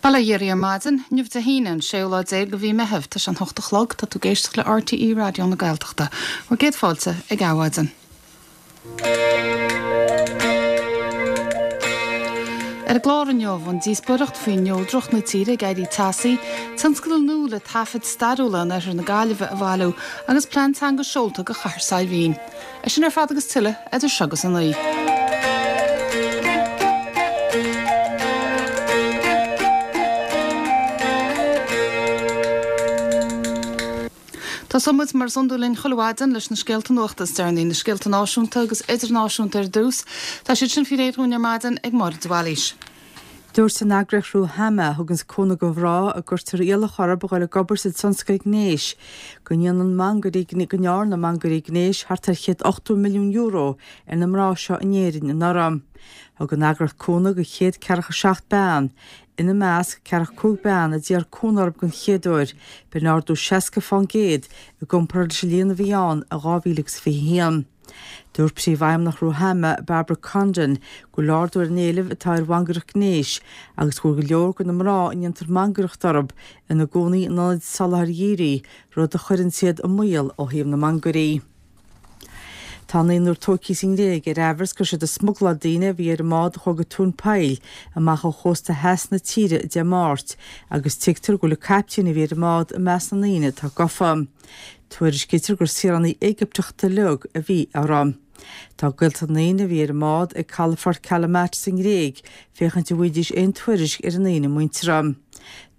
Bail ó Dhia oraibh ar maidin, inniu Dé hAoine, an séú lá déag de mhí Meitheamh. Tá sé an hocht a chlog, tá tú ag éisteacht le RTÉ Raidió na Gaeltachta. Bhur gcéad fáilte ag Adhmhaidin. Ar an gclár inniu, an díospóireacht faoi neodracht na tíre ag éirí teasaí, tionscadal nua le taifid stairiúla in oirthear na Gaillimhe a bhailiú agus plean teanga seolta do Chathair Saidhbhín. É sin ar fad agus tuilleadh idir seo agus a naoi. Tosóidh muid, mar is iondúil linn chuile mhaidin, leis na scéalta nuachta is deireanaí, na scéalta náisiúnta agus idirnáisiúnta ar dtús. Tá siad sin faoi réir dhúinn ar maidin ag Máire de Bhailís. Dúirt an eagraíocht Ruhama, a thuganns cúnamh do mhná a gcuirtear iallach orthu a dhul ag obair sa tionscal gnéis, go ndéanann mangairí, go ndearna mangairí gnéis thart ar €180 milliún ar na mná seo in Éirinn anuraidh. Thug an eagraíocht cúnamh do 147 bean, ina measc, 45 bean a d'iarr cúnamh orthu den chéad uair, b'in ardú 60 fán gcéad i gcomparáid leis an líon a bhí ann in 2021. Dúirt Príomhfheidhmeannach Ruhama, Barbara Condon, go bhfuil ardú ar an éileamh atá ar mhangaireacht gnéis agus go bhfuil go leor de na mná a ndéantar mangaireacht orthu ina gcónaí in ionaid soláthair dhírigh, rud a chuireann iad i mbaol ó thaobh na mangairí. Tá naonúr tógtha sa nGréig ar aimhreas go raibh siad ag smugláil daoine a bhí ar an mbád a chuaigh go tóin poill amach ó chósta theas na tíre Dé Máirt agus tuigtear go bhfuil an caiptín a bhí ar an mbád i measc na ndaoine atá gafa. Tuairiscítear gur saoránaigh Éigipteacha uilig a bhí orthu. Tá gaolta na ndaoine a bhí ar an mbád ag calafort Kalamata sa nGréig féachaint an bhfaighidís aon tuairisc ar a ndaoine muinteartha.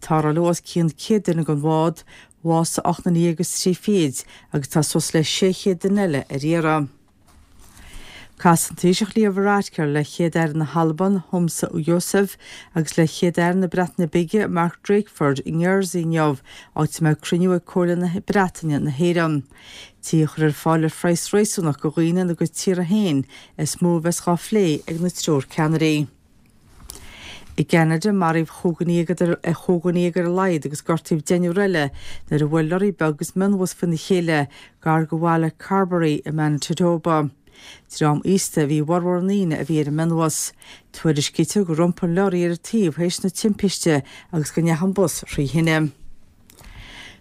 Tarrtháladh os cionn 100 duine den bhád, bhásaigh 18 nduine agus tá suas le 600 duine eile ar iarraidh. Casfaidh an Taoiseach Leo Varadkar le Chéad-Aire na hAlban, Humza Yousaf, agus le Chéad-Aire na Breataine Bige, Mark Drakeford, i nJersey inniu, áit a mbeidh cruinniú ag Comhairle na Breataine na hÉireann. Tithe a chur ar fáil ar phraghas réasúnach do dhaoine ina gcuid tíortha féin is mó a bheas dhá phlé ag na triúr ceannairí. I gCeanada, maraíodh chúig dhuine dhéag ar a laghad agus gortaíodh deichniúr eile nuair a bhuail lorraí beag agus mionbhus faoina chéile gar do bhaile Carberry i Manitoba. Dream aosta a bhí i bhformhór na ndaoine a bhí ar an mionbhus. Tuairiscítear gur iompaigh an leoraí ar a taobh théis na timpiste agus go ndeachaigh an bus thrí thine.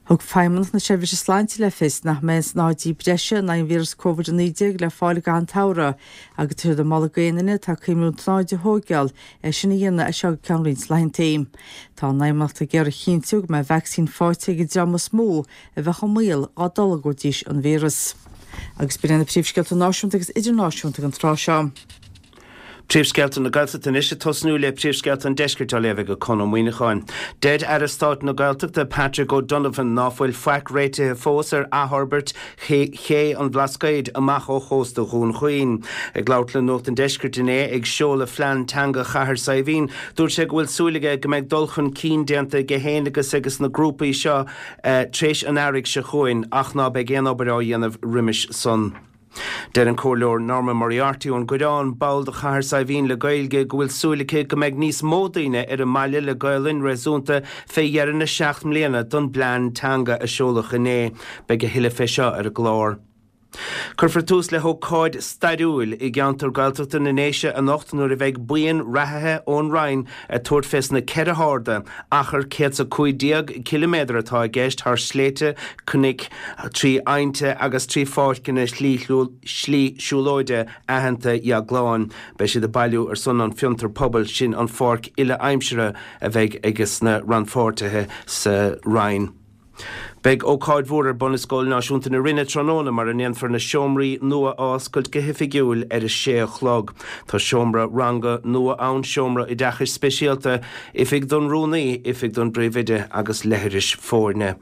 Thug Feidhmeannacht na Seirbhíse Sláinte le fios nach mbeidh aon snáithidí breise in aghaidh an víreas Covid-19 le fáil i gcaitheamh an tsamhraidh agus tá siad ag moladh d'aon duine atá ag cuimhniú an tsnáithid a thóigeáil é sin a dhéanamh as seo go ceann roinnt laethantaí. Tá an Fheidhmeannacht ag iarraidh a chinntiú go mbeidh vacsaín faighte ag an dream is mó a bheadh i mbaol dá dtolgfaidís an víreas. Agus b'in iad na príomhscéalta náisiúnta agus idirnáisiúnta ag an tráth seo. Príomhscéalta na Gaeltachta anois ag tosnú le príomhscéalta an Deiscirt á léamh ag Conn Ó Muíneacháin. Deir Aire Stáit na Gaeltachta Patrick O'Donovan ná fuil faic réitithe fós ar athfhorbairt Ché an Bhlascaoid amach ó chósta Dhún Chaoin. Ag labhairt le Nuacht an Deiscirt inné ag seoladh phlean teanga Chathair Saidhbhín, dúirt sé go bhfuil súil aige go mbeidh dul chun cinn déanta aige féin agus ages na grúpaí seo tréis an earraigh seo chugainn ach ná beidh aon obair á dhéanamh roimis san. Deir an Comhairleoir Norma Moriarty ón gCoireán, ball de Chathair Saidhbhín le Gaeilge, go bhfuil súil aici go mbeidh níos mó daoine ar an mbaile le Gaolainn réasúnta fé dheireadh na seacht mbliana don bplean teanga a seoladh inné. Beidh a thuilleadh fé seo ar an gclár. Cuirfear tús le hócáid stairiúil i gceantar Gaeltachta na nDéise anocht nuair a bheidh buíon reathaithe ón Rinn ag tabhairt fés na ceithre harda, achar 115 ciliméadar atá i gceist thar shléibhte, cnoic, trí aibhnte agus trí pháirceanna slí siúlóide aitheanta Dheagláin. Beidh siad ag bailiú ar son an fiontar pobail sin an pháirc uile-aimseartha a bheidh ages na rannpháirtithe sa Rinn. Beidh ócáid mhór ar bun i Scoil Náisiúnta na Rinne tráthnóna mar a ndéanfar na seomraí nua a oscailt go hoifigiúil ar a sé a chlog. Tá seomra ranga nua ann, seomra oideachais speisialta, oifig don rúnaí, oifig don bpríomhoide agus leithris foirne.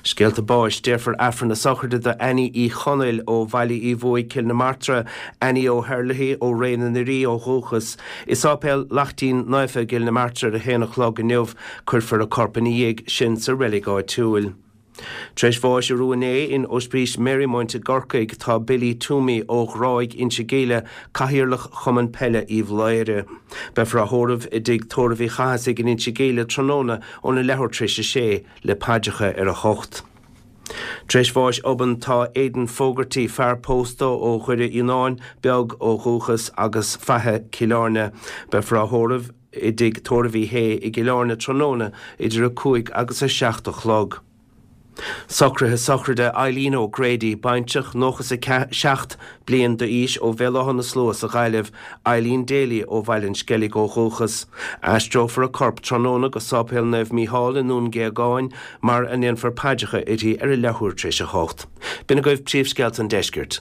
Scéalta báis, Déarfar Aifreann na sochraide do Annie Uí Chonaill ó Bhaile Uí Bhuaigh, Cill na Martra, Annie O'Herlihy ó Ré na nDoirí ó dhúchas, i Sáipéal Laichtín Naofa i gCill na Martra ar a haon a chlog inniu. Cuirfear a corp ina dhiaidh sin sa reilig áitiúil. Tar éis bháis arú inné in Ospís Marymount i gCorcaigh tá Billy Twomey ó Ghráig, Inse Gile, Cathaoirleach Chumann Peile Uíbh Laoghaire. Beifear á thórramh i dTigh Tórraimh Uí Chathasaigh in Inse Gile tráthnóna óna leathuair tar éis a sé. le paidreacha ar a hocht. Tar éis bháis obann tá Aidan Fogarty, fear pósta ó Dhoire Fhíonáin Beag ó dhúchas agus Faiche Cill Airne. Beifear á thórramh. i dTigh Tórraimh Uí Shé i gCill Airne tráthnóna idir 5 agus 7 a chlog. Socruithe sochraide Eileen O'Grady, baintreach, 97 bliain d'aois ó Bhéal Átha na Slua sa Ghaillimh, Eileen Daly ó Bhaile an Sceilg ó dhúchas. Aistreofar a corp tráthnóna go Sáipéal Naomh Mícheál i nDún Géagáin mar a ndéanfar paidreacha uirthi ar a leathuair tar éis a hocht. B'in agaibh príomhscéalta an deiscirt.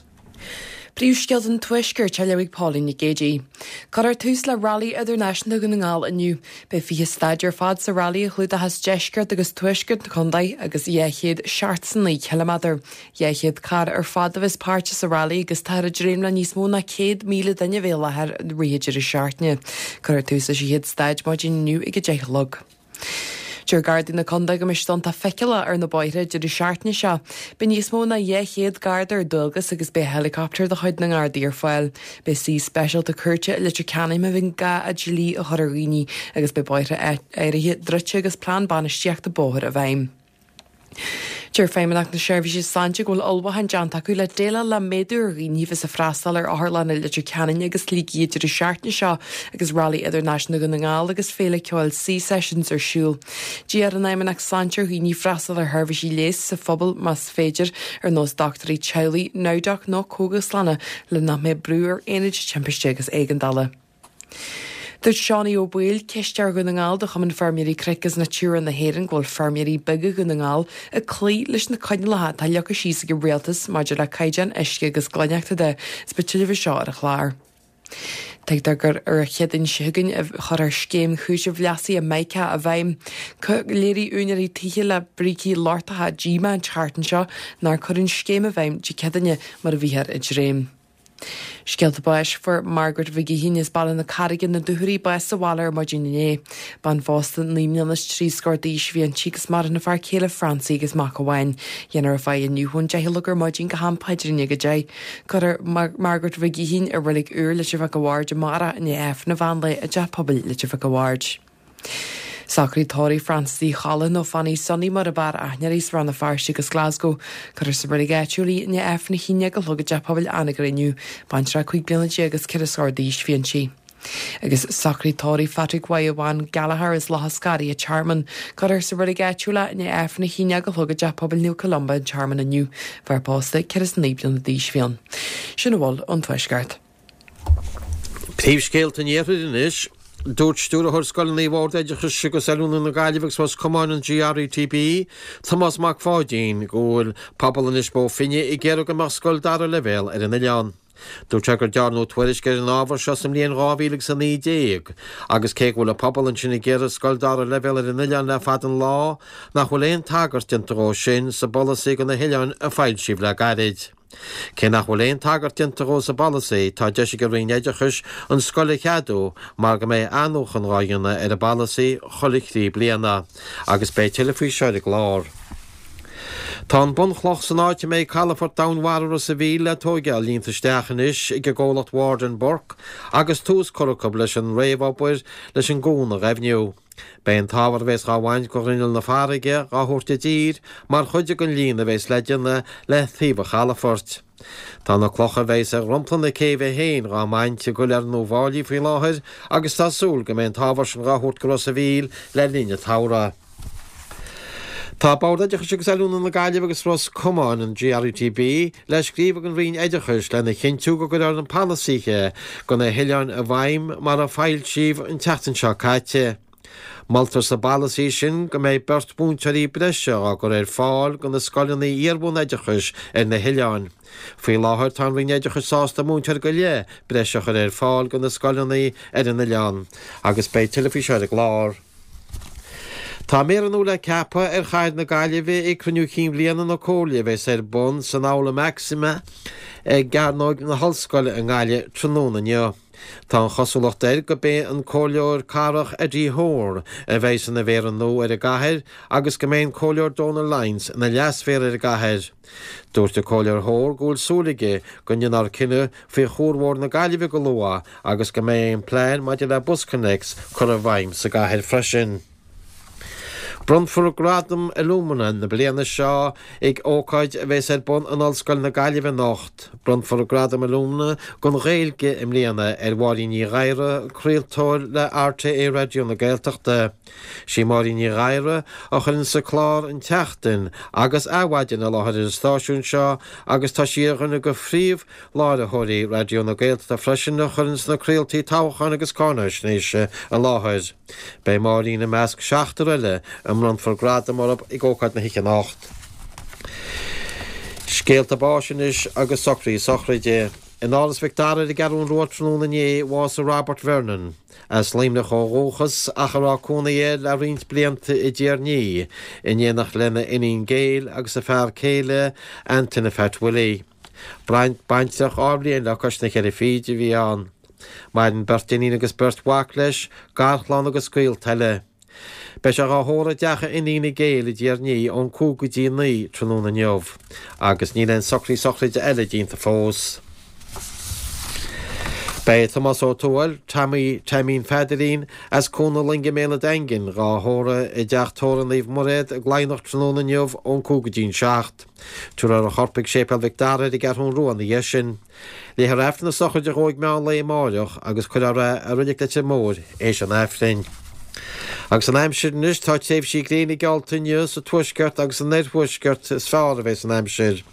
Príomhscéalta an Tuaiscirt á léamh ag Pauline Nic Géadaigh. Cuirfear tús le Railí Idirnáisiúnta Dhún na nGall inniu. Beidh 20 staid ar fad sa railí a chlúdóchas deisceart agus tuaisceart na contae agus 279 ciliméadar. 200 carr ar fad a bheas páirteach sa railí agus táthar ag dréim le níos mó ná 100,000 duine a bheith i láthair i rith an deireadh seachtaine. Cuirfear tús leis an chéad staid maidin inniu ag 10 a chlog. Deir Gardaí na Condae go mbeidh siad iontach feiceálach ar na bóithre an deireadh seachtaine seo. Beidh níos mó ná 200 Garda ar dualgas agus beidh helicopter de chuid na nGardaí ar fáil. Beidh suí speisialta cúirte i Leitir Ceanainn má bhíonn gá an dlí a chur ar dhaoine agus beidh bóithre áirithe druidte agus plean bainistíochta bóthair i bhfeidhm. Deir Feidhmeannacht na Seirbhíse Sláinte go bhfuil ullmhúcháin déanta acu le déileáil le méadú ar dhaoine a bheas ag freastal ar otharlanna Leitir Ceanainn agus Shligigh an deireadh seachtaine seo agus Railí Idirnáisiúnta Dhún na nGall agus Féile Ceoil Sea Sessions ar siúl. D'iarr an Fheidhmeannacht Sláinte ar dhaoine freastal ar sheirbhísí leighis sa phobal más féidir, ar nós dochtúirí teaghlaigh, NowDoc nó cógaslanna le nach mbeadh brú ar aonaid timpiste agus éigeandála. Dúirt Seánie Ó Baoill, Cisteoir Dhún na nGall do Chumann Feirmeoirí Cnoic agus Natura na hÉireann go bhfuil feirmeoirí beaga Dhún na nGall ag cloí leis na coinníollacha atá leagtha síos ag an Rialtas maidir le caighdeáin uisce agus glaineachta de. Is beidh tuilleadh faoi seo ar an chlár. Tuigtear gur ar an Chéadaoin seo chugainn a chuirfear scéim chúisimh leasaithe MiCA i bhfeidhm. Léirigh úinéirí tithe le brící lochtacha díomá an tseachtain seo nár cuireadh an scéim i bhfeidhm Dé Céadaoine mar a bhíothar ag dréim. Scéalta báis Fuair Margaret Mhig Uidhín as Baile na Carraige, na Dúchoraidh, bás sa bhaile ar maidin inné. Bean phósta 9 mbliana is 3 scór d'aois a bhí inti agus maireann a fear céile Francie agus mac amháin. Dhéanfar a faire inniu ón 10 a chlog ar maidin go ham paidrín ag 10. Cuirfear Margaret Mhig Uidhín i Reilig Úr Leitir Mhic a' Bhaird amárach i ndiaidh Aifreann an mheán lae i dTeach Pobail Leitir Mhic a' Bhaird. Socraid tórraimh Francis Uí Cholla nó Fanny Sonny mar ab fhearr aithne uirthi as Rann na Feirste agus Glasgow. Cuirfear sa reilig áitiúil í i ndiaidh Aifreann a haon déag a chlog i dTeach Pobail Anagaire inniu. Baintreach 15 bliana agus ceithre scór d'aois a bhí inti. Agus socraid tórraimh Phatrick Yvonne Gallagher as Loch a' Scarraigh, an Tearmann. Cuirfear sa reilig áitiúil é i ndiaidh Aifreann a haon déag a chlog i dTeach Pobail Naomh Columba, an Tearmann inniu. Fear pósta, 49 bliana d'aois a bhí ann. Sin a bhfuil ón Tuaisceart. Príomhscéalta an Iarthair anois. Dúirt Stiúrthóir Scoileanna Bhord Oideachais agus Oiliúna na Gaillimhe agus Ros Comáin, an GRETB, Tomás Mac Pháidín, go bhfuil pobal Inis Bó Finne ag iarraidh go mbeadh scoil dara leibhéal ar an oileán. Dúirt sé gur dearnadh tuairisc ar an ábhar seo sa mbliain 2019 agus cé go bhfuil an pobal ansin ag iarraidh scoil dara leibhéal ar an oileán le fada an lá, nach bhfuil aon tagairt déanta dhó sin sa bpolasaí do na hoileáin a foilsíodh le gairid. Cé nach bhfuil aon tagairt déanta dhó sa bpolasaí, tá deis ag an Roinn Oideachais an scoil a cheadú mar go mbeidh athnuachan dhá dhéanamh ar an bpolasaí chuile thrí bliana. Agus beidh tuilleadh faoi seo ar an gclár. Tá an bunchloch san áit a mbeidh calafort domhainmhara Ros a' Mhíl le tóigeáil líonta isteach anois ag an gcomhlacht Ward and Burke agus tús curtha acu leis an réamhobair leis an gcuan a ghaibhniú. Beidh an t-ábhar a bheas dhá bhaint de ghrinneall na farraige dhá thabhairt i dtír mar chuid den líonadh a bheas le déanamh le taobh an chalafoirt. Tá na clocha a bheas ar dhromchla na céibhe féin dhá mbaint i gcoileár na bhFáilí faoi láthair agus tá súil go mbeidh an t-ábhar sin dhá thabhairt go Ros a' Mhíl le linn an tsamhraidh. Tá Bord Oideachais agus Oiliúna na Gaillimhe agus Ros Comáin, an GRETB, le scríobh ag an Roinn Oideachais lena chinntiú go gcuirfear na polasaithe do na hoileáin i bhfeidhm mar a foilsíodh an tseachtain seo caite. Moltar sa bpolasaí sin go mbeidh beirt mhúinteoirí breise á gcur ar fáil do na scoileanna iar-bhunoideachais ar na hoileáin. Faoi láthair tá an Roinn Oideachais sásta múinteoir go leith breise a chur ar fáil do na scoileanna ar an oileán agus beidh tuilleadh faoi seo ar an gclár. Tá méara nua le ceapadh ar chathair na Gaillimhe ag cruinniú cinn bhliana na Comhairle a bheas ar bun san Aula Maxima i gCearnóg na hOllscoile i nGaillimh tráthnóna inniu. Tá an chosúlacht air go b'é an Comhairleoir Cathrach Eddie Hoare a bheas ina mhéara nua ar an gcathair agus go mbeidh an Comhairleoir Donal Lyons ina leasmhéara ar an gcathair. Dúirt an Comhairleoir Hoare go bhfuil súil aige go ndéanfar cinneadh faoi Chuarbhóthar na Gaillimhe go luath agus go mbeidh an plean maidir le BusConnects curtha i bhfeidhm sa gcathair freisin. Bronnfar Gradam Illumina na bliana seo ag ócáid a bheas ar bun in Ollscoil na Gaillimhe anocht. Bronnfar Gradam Illumina don Ghaeilge i mbliana ar Mháirín Ní Ghadhra, craoltóir le RTÉ Raidió na Gaeltachta. Sí Máirín Ní Ghadhra a chuireanns an clár An tSeachtain agus Adhmhaidin i láthair ar an stáisiún seo agus tá sí ar dhuine de phríomh láithreoirí Raidió na Gaeltachta freisin a chuireanns na craoltaí toghcháin agus cáinaisnéise i láthair. Beidh Máirín i measc seachtar eile a mbronnfar gradam orthu ag ócáid na hoíche anocht. Scéalta báis anois agus socruithe sochraide. In Áras Mhic Dara ar an gCeathrú Rua tráthnóna inné, bhásaigh Robert Vernon, as Luimneach ó dhúchas ach a raibh cónaí air le roinnt blianta i dTír an Fhia, in éineacht lena iníon Gail agus a fear céile Antaine Phat Willie. Baintreach dhá bhliain le cois na ceithre fichid a bhí ann. Maireann beirt iníon agus beirt mhac leis, garchlann agus gaolta eile. Beidh sé dhá thórramh i dteach a iníne Gail i dTír an Fhia ón 5 go dtí 9 tráthnóna inniu agus níl aon socruithe sochraide eile déanta fós. Beidh Tomás Ó Tuathail, Tommy Taimín Pheadairín, as Cuan na Loinge i mBéal an Daingin, dhá thórramh i dteach tórraimh Naomh Muiréad i gCladhnach tráthnóna inniu ón 5 go dtí an 7. Tabharfar a chorp ag Séipéal Mhic Dara ar an gCeathrú Rua ina dhiaidh sin. Léifear Aifreann na sochraide dhó ag meán lae amáireach agus cuirfear é i Reilig Leitir Móir théis an Aifrinn. Agus an aimsir anois, tá tréimhsí gréine geallta inniu sa tuaisceart agus san oirthuaisceart is fearr a bheas an aimsir.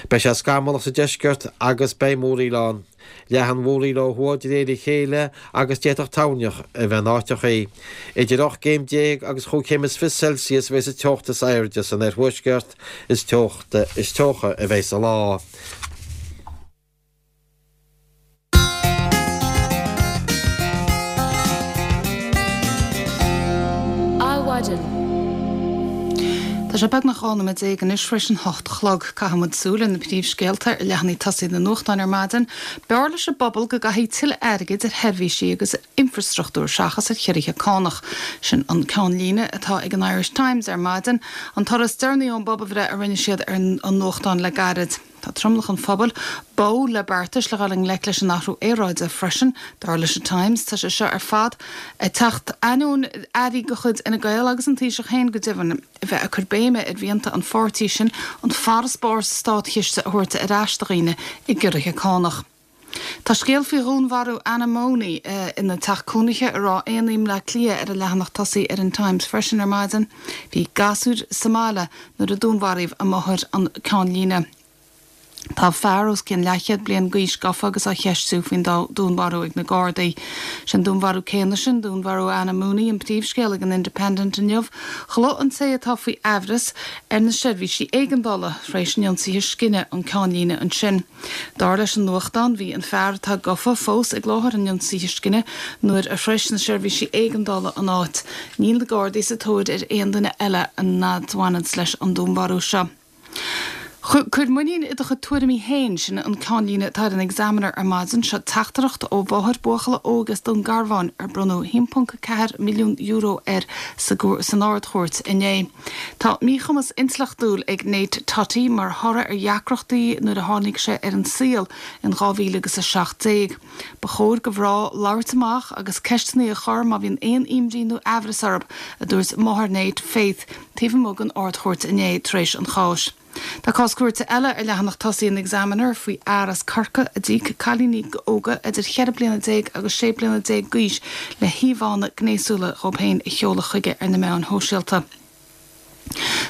Beidh sé scamallach sa deisceart agus beidh múraíl ann. Leathfaidh an mhúraíl ó thuaidh de réir a chéile agus d'fhéadfadh toirneach a bheith in áiteachaí. Idir 18 gcéim agus chúig chéim is 20 Celsius a bheas an teocht is airde san oirthuaisceart, is teocht is teocha a bheidh sa lá. Adhmhaidin. Tá sé beagnach 12 nóiméad anois tar éis an hocht a chlog. Caithfidh muid súil ar na príomhscéalta ar leathanaigh tosaigh na nuachtáin ar maidin. B'fhearr leis an bpobal go gcaithfí tuilleadh airgid ar sheirbhísí agus ar infreastruchtúr seachas ar chiorruithe cánach. Sin an ceannlíne atá ag an Irish Times ar maidin, an toradh is deireanaí ón bpobalbhreith a rinne siad ar an nuachtán le gairid. Tá tromlach an phobail báúil le beartais le dhul i ngleic leis an athrú aeráide freisin, dar leis an Times. Tá sé seo ar fad ag teacht ainneoin airí de chuid Fhine Gael agus an Taoiseach féin go deimhin a bheith ag cur béime ar mhianta an pháirtí sin an farasbarr sa státchiste a thabhairt ar ais do dhaoine i gciorruithe cánach. Tá scéal faoi dhúnmharú Anna Mooney ina teach cónaithe i Ráth Éanaigh i mBleá Cliath ar an leathanach tosaigh ar an Times freisin ar maidin. Bhí gasúir sa mbaile nuair a dúnmharaíodh a máthair an ceannlíne. Tá fear os cionn leathchéad bliain d'aois gafa agus á cheistiú faoin dúnmharú ag na Gardaí. Sé an dúnmharú céanna sin, dúnmharú Anna Mooney, an príomhscéal ag an Independent inniu. Ghlaoigh an té atá faoi aimhreas ar na seirbhísí éigeandála tar éis an ionsaithe scine, an ceannlíne ansin. Dar leis an nuachtán, bhí an fear atá gafa fós ag láthair an ionsaithe scine nuair a shroich na seirbhísí éigeandála an áit. Níl na Gardaí sa tóir ar aon duine eile a bhaineanns leis an dúnmharú seo. Cuir muinín i do chuid tuairimí féin, sin an ceannlíne atá ar an Examiner ar maidin. Seo teachtaireacht ó mháthair buachalla óig as Dún Garbhán ar bronnadh €1.4 milliún air san Ard-Chúirt inné. Tá míchumas intleachtúil ag Nate Toti mar thoradh ar dheacrachtaí nuair a tháinig sé ar an saol in 2017. Ba chóir do mhná labhairt amach agus ceisteanna a chur má bhíonn aon imní nó aimhreas orthu, a dúirt máthair Nate, Faith, taobh amuigh den Ard-Chúirt inné tar éis an cháis. Tá cás cúirte eile ar leathanach tosaigh an Examiner faoi fhear as Corcaigh a d'íoc cailíní óga idir cheithre bliana déag agus sé bliana déag d'aois le híomhánna gnéasúla dhóibh féin a sheoladh chuige ar na meáin shóisialta.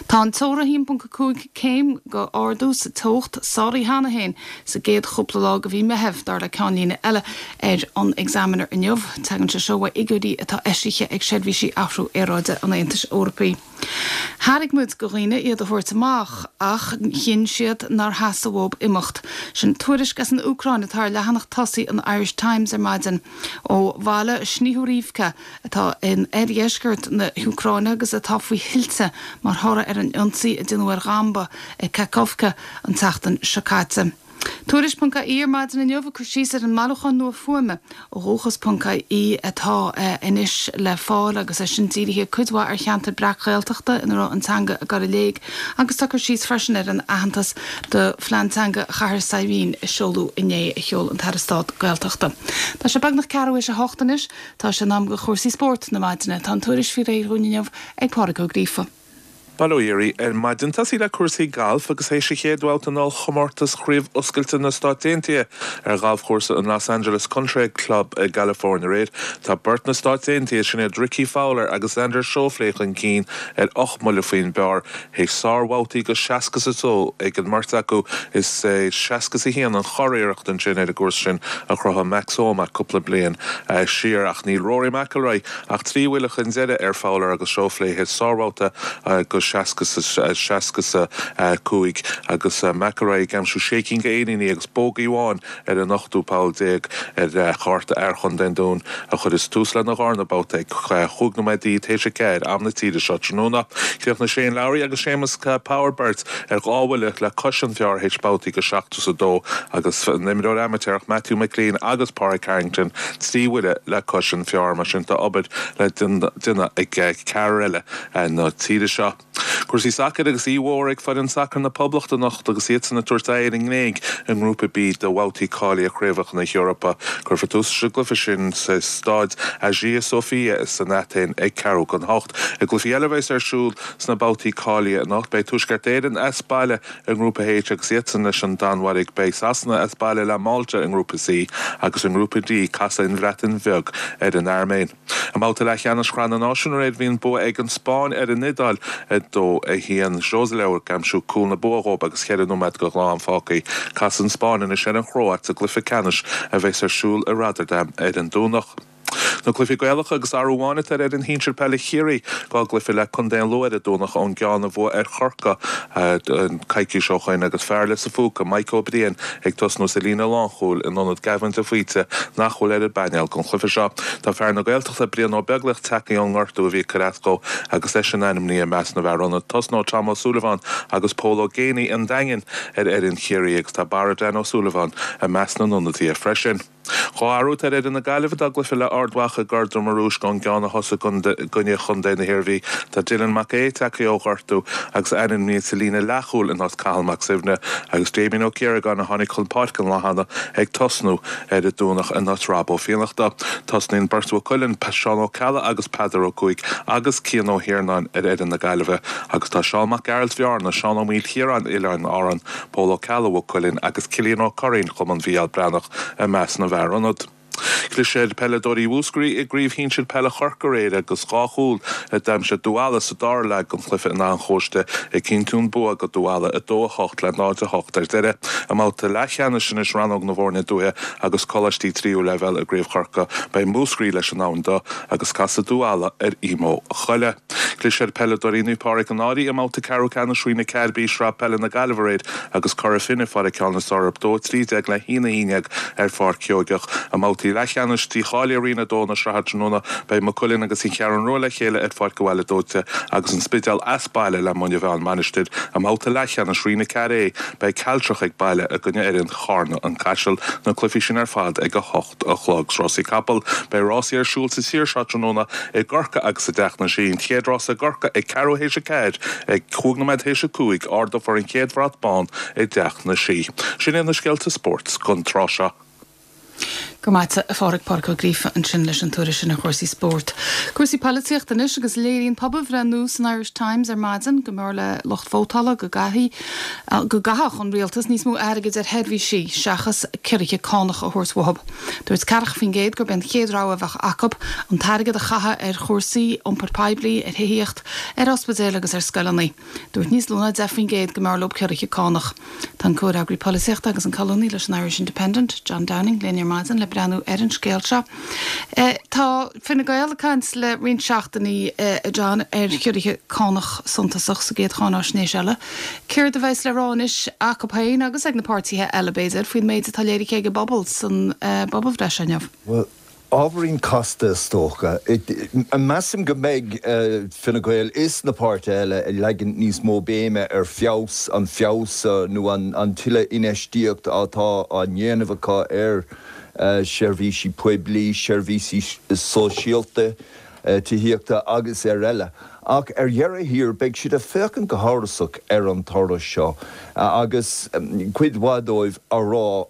Tá an teora 1.5 céim d'ardú sa teocht sáraithe cheana féin sa gcéad chúpla lá de mhí Meitheamh, dar le ceannlíne eile ar an Examiner inniu. Tagann sé seo uaidh fhigiúirí atá eisithe ag seirbhísí athrú aeráide an Aontais Eorpaigh. Thairg muid do dhaoine iad a thabhairt amach ach chinn siad nár theastaigh uathu imeacht. Sin tuairisc as an Úcráin atá ar leathanach tosaigh an Irish Times ar maidin. Ó bhaile Snihurivka atá in oirdheisceart na hÚcráine agus atá faoi thuilte mar thoradh ar an ionsaí a déanadh ar dhamba ag Kakhovka an tseachtain seo caite. Tuairisc ponc ie ar maidin inniu ag cur síos ar an mbailiúchán nua fuaime ó dhúchas ponc ie atá anois le fáil agus é sin dírithe cuid mhaith ar cheantair breac-Ghaeltachta ina raibh an teanga ag dul i léig agus tá cur síos freisin ar an aitheantas do phlean teanga Chathair Saidhbhín a seoladh inné a sheol an tAire Stáit Gaeltachta. Tá sé beagnach ceathrú théis a hocht anois. Tá sé in am do chúrsaí spóirt na maidine. Tá an tuairisc faoi réir dhúinn inniu ag Pádraig Ó Gríofa. Bail ó Dhia oraibh ar maidin. Tosaí le cúrsaí gailf agus théis an chéad bhabhta in ollchomórtas Chraobh Oscailte na Stát Aontaithe ar ghalfchúrsa an Los Angeles Country Club i gCalifornia aréir, tá beirt na Stáit Aontaithe, sin iad Rickie Fowler agus Xander Schauffele chun cinn ar 8 mbuille faoin bpar théis sárbhabhtaí go 62 ag an mbeirt acu. Is é 61 an churiarracht ansin ar an gcúrsa sin a chruthaigh Max Homa cúpla bliain siar ach níl Rory McIlroy Ach 3 bhuille chun deiridh ar Fowler agus Schauffele théis sárbhabhta go 65 agus McIlroy ag aimsiú sé cinn de éiníní agus bógaí amháin ar an ochtú poll déag ar chárta fhear chontae an Dúin a chuireas tús lena dharna babhta ag chúig nóiméadaí théis a ceathair am na tíre seo tráthnóna. Chríochnaigh Shane Lowry agus Séamus Power beirt ar dhá bhuille le cois an phar théis babhtaí go 72 agus an imreoir amaitéarach Matthew McClean agus Pádraig Harrington 3 bhuille le cois an phar, mar sin tá obair le déanamh ag ceathrar eile na tíre seo. Cúrsaí sacair agus oíche mhór ag foireann sacair na Poblachta anocht agus iadsan ag tabhairt aghaidh ar an nGréig i nGrúpa B de bhabhtaí cáilithe Chraobhacha na hEorpa. Cuirfear tús leis an gcluiche sin sa staid Agia Sophia san Aithin ag ceathrú don hocht. I gcluichí eile a bheas ar siúl sna babhtaí cáilithe anocht beidh Tuaisceart Éireann as baile I nGrúpa H agus iadsan leis an Danmhairg, beidh Sasana as baile le Malta i nGrúpa C agus i nGrúpa D casfaidh an Bhreatain Bheag ar an Airméin. I mbabhta leathcheannais Shraith na Náisiún aréir bhí an bua ag an Spáinn ar an Iodáil 2, 1. Joselu ag aimsiú cúl na bua dhóibh agus cheithre nóiméad go ghnáth-am fágtha. Casfaidh an Spáinn anois ar an Chróit sa gcluiche ceannais a bheas ar siúl i Rotterdam ar an Domhnach. Na cluichí Gaelacha agus athrú amháin atá ar fhoireann shinsir peile Chiarraí, 2 gcluiche le Contae an Lú ar an Domhnach ón gceann a bhuaigh ar Chorcaigh coicís ó shoin agus fear Lios a' Phúca, Mike Ó Briain, ag tosnú sa líne lánchúil in ionad Gavin de Faoite nach bhfuil ar an bpainéal don chluiche seo. Tá fear na Gaeltachta, Brian Ó Beaglaoich tagtha ón ngortú a bhí ag cur as dó agus eisean ainmnithe i measc na bhfear ionaid. Tosnóidh Tom Ó Súilleabháin agus Pól Ó Géibheannaigh an Daingin ar fhoireann Chiarraí agus tá Barra Dan Ó Súilleabháin i measc na n-ionadaithe freisin. 2 athrú atá ar fhoireann na Gaillimhe dá gcluiche le Ard Mhacha i gCorr Droma Rúisc ón gceann a thosaigh i gcoinne chontae na hIarmhí. Tá Dylan Mac Aodha tagtha ó ghortú agus ainmnithe sa líne leathchúil in áit Cathal Mac Suibhne agus Damien Ó Ciaragáin a tháinig chun páirce an lá cheana ag tosnú ar an Domhnach in áit Rob Ó Fiannachta. Tosnaíonn beirt Mhaigh Cuilinn, Seán Ó Ceallaigh agus Peadar Ó Cuaig agus Cian Ó hIarnáin ar fhoireann na Gaillimhe agus tá Seán Mac Gearailt Bhearna, Seán Ó Maoilchiaráin Oileáin Árann, Pól Ó Ceallaigh Mhaigh Cuilinn agus Cillian Ó Curraoin Chumann Mhícheál Breathnach i measc na bhfear ionad. Chlis ar pheileadóirí Mhúscraí i gCraobh Shinsir Peile Chorcaí aréir agus 2 chúl a d'aimsigh Dubh Ealla sa dara leath den chluiche in Áth an Chóiste ag cinntiú an bua do Dubh Ealla 2, 8 le 0, 8 ar deireadh. I mbabhta leathcheannais anois rannóg na bhfoirne dúiche agus coláistí tríú leibhéal i gCraobh Chorcaí beidh Múscraí leis an Abhainn Dubh agus casfaidh Dubh Ealla ar Emo Choille. Chlis ar pheileadóirí Naomh Pádraig an Fhairche i mbabhta ceathrú ceannais Roinn 4B Sraith Peile na Gaillimhe aréir agus Cora Finne faighte ceann is fearr orthu 2, 13 le 1, 11 ar Pháirc Sheoigeach. I mbabhtaí leathcheannais dícháilithe Roinn 2 na sraithe tráthnóna beidh Maigh Cuilinn agus an Cheathrú Rua le chéile ar Pháirc an Bhaile Dóite agus an Spidéal as baile le Muine Mheá-An Mhainistir. I mbabhta leathcheannais Roinn 4A beidh Cealtrach ag baile i gcoinne fhoireann Charna An Caiseal. Na cluichí sin ar fad ag 8. a chlog. Rásaí capall, Beidh rásaí ar siúl sa tír seo tráthnóna i gCorcaigh agus i dTeach na Sí. An chéad rása i gCorcaigh ag ceathrú théis a ceathair, ag cúig nóiméad théis a cúig, ardófar an chéad bhrat bán i dTeach na Sí. Sin iad na scéalta spóirt don tráth seo. Go raibh maith agat, a Phádraig, Pádraig Ó Gríofa ansin leis an tuairisc sin ar chúrsaí spóirt. Cúrsaí poilitíochta anois agus léiríonn pobalbhreith nua san Irish Times ar maidin go mb'fhearr le lucht vótála go gcaithfí go gcaithfeadh an rialtas níos mó airgid ar sheirbhísí seachas ciorruithe cánach a thabhairt uathu. Dúirt 40% gurb é an chéad rogha a bheadh acu an t-airgead a chaitheamh ar chúrsaí iompair poiblí, ar thithíocht, ar ospidéil agus ar scoileanna. Dúirt níos lú ná 10% go mb'fhearr leo ciorruithe cánach. Tá an comhfhreagraí polaitíochta agus an colúnaí leis an Irish Independent, John Downing, linn ar maidin le breathnú ar an scéal seo. Tá Fine Gael ag caint le roinnt seachtainí, a John, ar chiorruithe cánach suntasach sa gcéad cháináisnéis eile. Céard a bheas le rá anois acu féin agus ag na páirtithe eile, b'fhéidir, faoin méid atá léirithe ag an bpobal san bpobalbhreith seo inniu? Bhuel, Ábhairín casta is dócha. Measaim go mbeidh Fine Gael is na páirtithe eile ag leagan níos mó béime ar feabhas, an feabhas nó an tuilleadh infheistíocht atá á ndéanamh acu ar sheirbhísí poiblí, seirbhísí sóisialta, tithíochta agus ar eile. Ach ar dheireadh thiar beidh siad ag féachaint go hamhrasach ar an toradh seo agus cuid mhaith dóibh á rá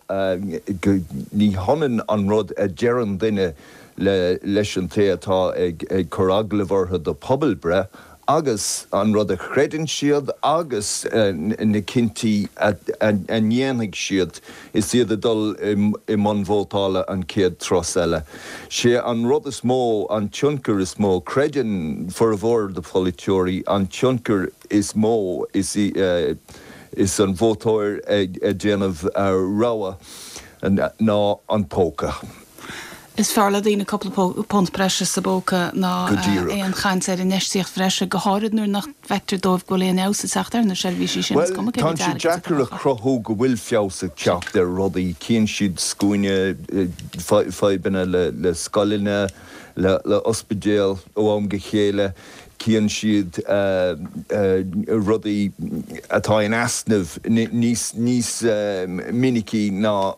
go ní hionann an rud a deireann duine leis an té atá ag cur agallamh orthu do pobalbhreith agus an rud a chreideann siad agus na cinntí a ndéanfaidh siad is iad ag dul i mbun vótála an chéad turas eile. Sé an rud is mó, an tionchar is mó, creideann formhór de pholaiteoirí, an tionchar is mó is is an vótóir ag déanamh rogha ná an póca. Is fearr le daoine cúpla punt breise sa bpóca ná aon chaint ar infheistíocht bhreise, go háirid nuair nach bhfeictear dóibh go bhfuil aon fheabhas ag teacht ar na seirbhísí sin, is Bhuel, cuma cé mhéad tá sé airgid atá deacair a acu. chruthú go bhfuil feabhas ag teacht ar rudaí. Chíonn siad scuaine, fadhbanna le scoileanna, le ospidéil ó am go chéile. Cíonn siad rudaí atá in easnamh níos minicí ná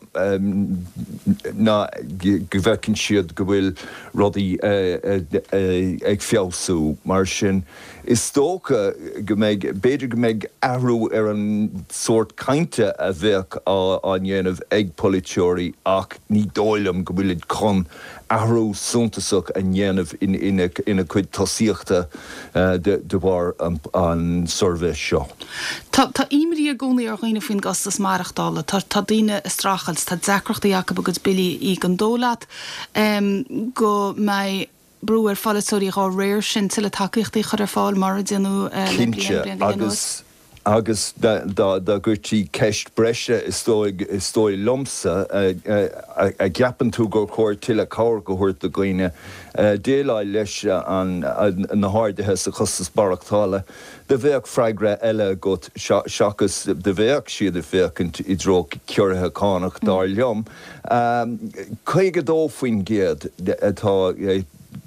ná go bhfeiceann siad go bhfuil rudaí ag feabhsú. Mar sin, is dócha go mbeidh, b'fhéidir go mbeidh athrú ar an sórt cainte a bheadh á ndéanamh ag polaiteoirí ach ní dóigh liom go bhfuilid chun athrú suntasach a dhéanamh ina gcuid tosaíochta de bharr an suirbhé seo. Tá imní i gcónaí ar dhaoine faoin gcostas maireachtála. Tá daoine ag streachailt, tá deacrachtaí acu a gcuid billí a íoc. An dóigh leat go mbeidh brú ar pholaiteoirí dhá réir sin tuilleadh tacaíochtaí a chur ar fáil mar a déanadh le bliain, Cinnte, bliain go leith anuas? Agus Agus dá gcuirtí ceist breise, is dóigh, is dóigh liomsa, a gceapann tú gur chóir tuilleadh cabhrach a thabhairt do dhaoine déileáil leis na harduithe sa chostas maireachtála, do bheadh freagra eile agat seachas do bheadh siad ag féachaint i dtreo ciorruithe cánach, dar liom. 52% atá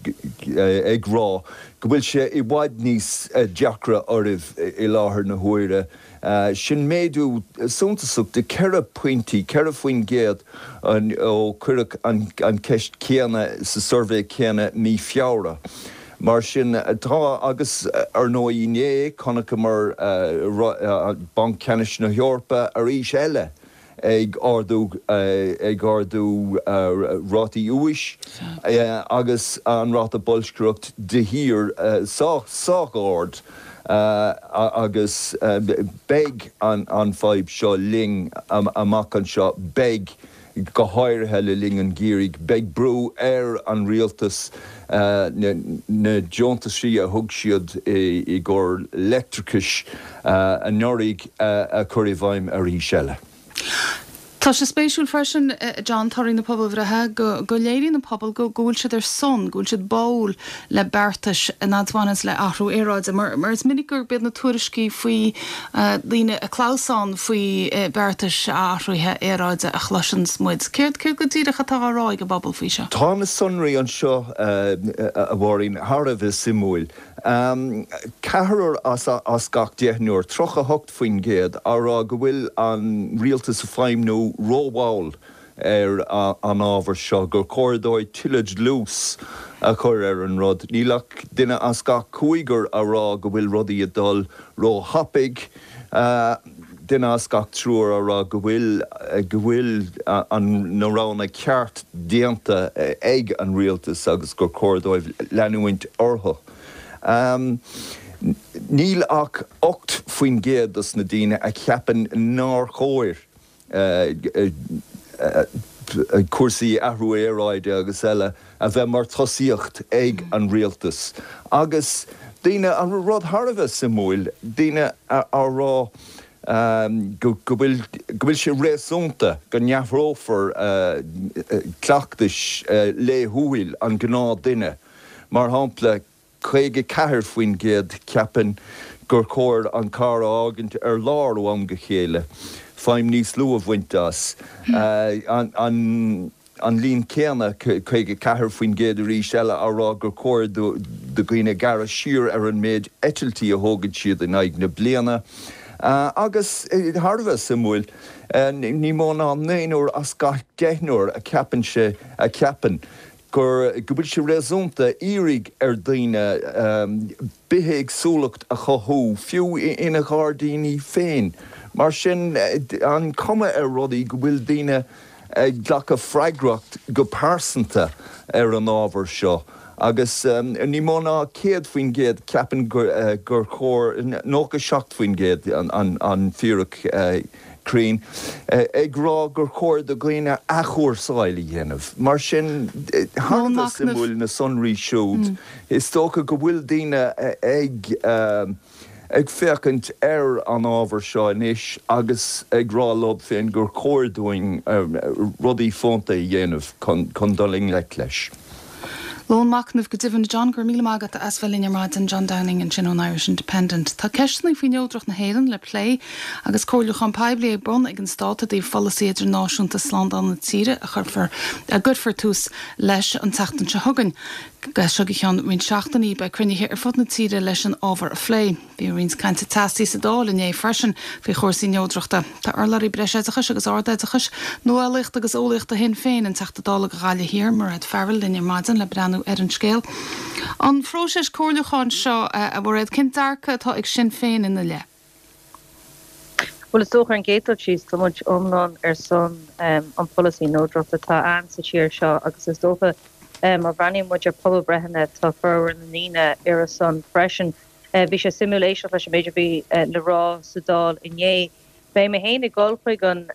ag rá go bhfuil sé i bhfad níos deacra oraibh i láthair na huaire. Sin méadú suntasach de cheithre phointí, 4%, ó cuireadh an cheist chéanna sa suirbhé céanna mí Feabhra. Mar sin, tá, agus ar ndóigh inné chonaiceamar Banc Ceannais na hEorpa arís eile ag ardú ag ardú rátaí úis agus an ráta boilscreacht de shíor sách sách ard agus beidh an fadhb seo linn amach anseo, beidh, go háirithe le linn an gheimhridh, beidh brú ar an rialtas na deontaisí a thug siad i gcomhair leictreachais anuraidh a chur i bhfeidhm arís eile. Tá sé spéisiúil freisin, John, torthaí na pobalbhreithe, go léiríonn an pobal go bhfuil siad ar son, go bhfuil siad báúil le beartais a bhaineanns le athrú aeráide. Mar is minic gurb iad na tuairiscí faoi daoine ag clamhsán faoi beartais athraithe aeráide a chloiseanns muid. Céard go díreach atá á rá ag an bpobal faoi seo? Tá na sonraí anseo, a Mháirín, thar a bheith suimiúil. Ceathrar as gach deichniúr, 38%, á rá go bhfuil an rialtas ag feidhmniú rómhall ar an ábhar seo, gur chóir dóibh tuilleadh dlús a chur ar an rud. Níl ach duine as gach cúigear á rá go bhfuil rudaí ag dul róthapaidh, duine as gach triúr á rá go bhfuil go bhfuil na roghanna ceart déanta ag an rialtas agus gur chóir dóibh leanúint orthu. Níl ach 8% dos na daoine a cheapann nár chóir cúrsaí athrú aeráide agus eile a bheith mar tosaíocht ag an rialtas. Agus daoine, an rud thar a bheith suimiúil, daoine á rá go bhfuil, go bhfuil sé réasúnta go n-athrófar cleachtais laethúil an ghnáthduine. Mar shampla, 54% ceapann gur chóir an carr a fhágaint ar lár ó am go chéile, feidhm níos lú a bhaint as. An. An líon céanna, 54% arís eile, á rá gur chóir do dhaoine gearradh siar ar an méid eitiltí a thógann siad in aghaidh na bliana. Agus, thar a bheith suimiúil, ní mó ná naonúr as gach deichniúr a cheapann sé, a cheapann gur, go bhfuil sé réasúnta iarraidh ar dhaoine bithéagsúlacht a chothú, fiú ina ngairdíní féin. Mar sin, an chuma ar rudaí go bhfuil daoine ag glacadh freagracht go pearsanta ar an ábhar seo agus ní mó ná 100% ceapann gur chóir, 97% an fíric cruinn, ag rá gur chóir do dhaoine athchúrsáil a dhéanamh. Mar sin, thar a bheith suimiúil na sonraí siúd. Is dócha go bhfuil daoine ag. ag féachaint ar an ábhar seo anois agus ag rá leo féin gur chóir dúinn rudaí fónta a dhéanamh chun dul i ngleic leis. Lón machnaimh go deimhin. A John, go raibh míle maith agat as bheith linn ar maidin. John Downing ansin ón Irish Independent. Tá ceisteanna faoi neodracht na hÉireann le plé agus comhairliúchán poiblí ar bun ag an Stát i dtaobh pholasaí idirnáisiúnta slándála na tíre a chuirfear, a gcuirfear tús leis an tseachtain seo chugainn. As seo go ceann roinnt seachtainí, beidh cruinnithe ar fud na tíre leis an ábhar a phlé. Bhí roinnt cainte teasaí sa Dáil inné freisin faoi chúrsaí neodrachta. Tá urlabhraí breisoideachais agus ardoideachais, nuálaíochta agus eolaíochta Shinn Féin, an Teachta Dála do Ghaillimh Thiar, Mairéad Farrell, linn ar maidin le breathnú ar an scéal. An phróiseas comhairliúcháin seo, a Mhairéad, cén dearcadh atá ag Sinn Féin ina leith? Bhuel, is dócha ar an gcéad dul síos, tá muid iomlán ar son an pholasaí neodrachta atá ann sa tír seo agus is dócha má bhreathnaíonn muid ar pobalbreitheanna tá formhór na ndaoine ar a son freisin. Bhí sé suimiúil éisteacht leis an méid a bhí le rá sa Dáil inné. Beidh mé féin ag dul chuig an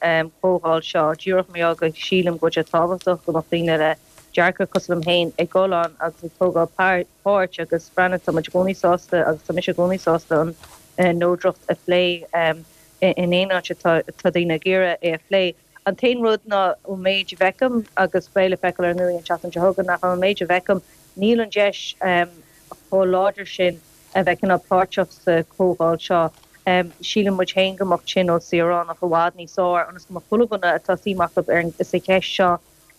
chomhdháil seo díreach mar gheall go sílim go bhfuil sé tábhachtach go mbeadh daoine le dearcadh cosúil liom féin ag dul ann agus ag tógáil páirt agus breathnaigh, tá muid i gcónaí sásta agus tá mise i gcónaí sásta an neodracht a phlé in aon áit atá daoine ag iarraidh é a phlé. An t-aon rud ná ón méid a bhfeicim, agus beidh le feiceáil ar ndóigh an tseachtain seo chugainn, ach ón méid a bhfeicim níl an deis chomh láidir sin a bheith cineál páirteach sa chomhdháil seo. Síleann muid féin go mbeadh tionól saoránach i bhfad níos fearr ionas go mbeadh chuile dhuine atá suim acu sa cheist seo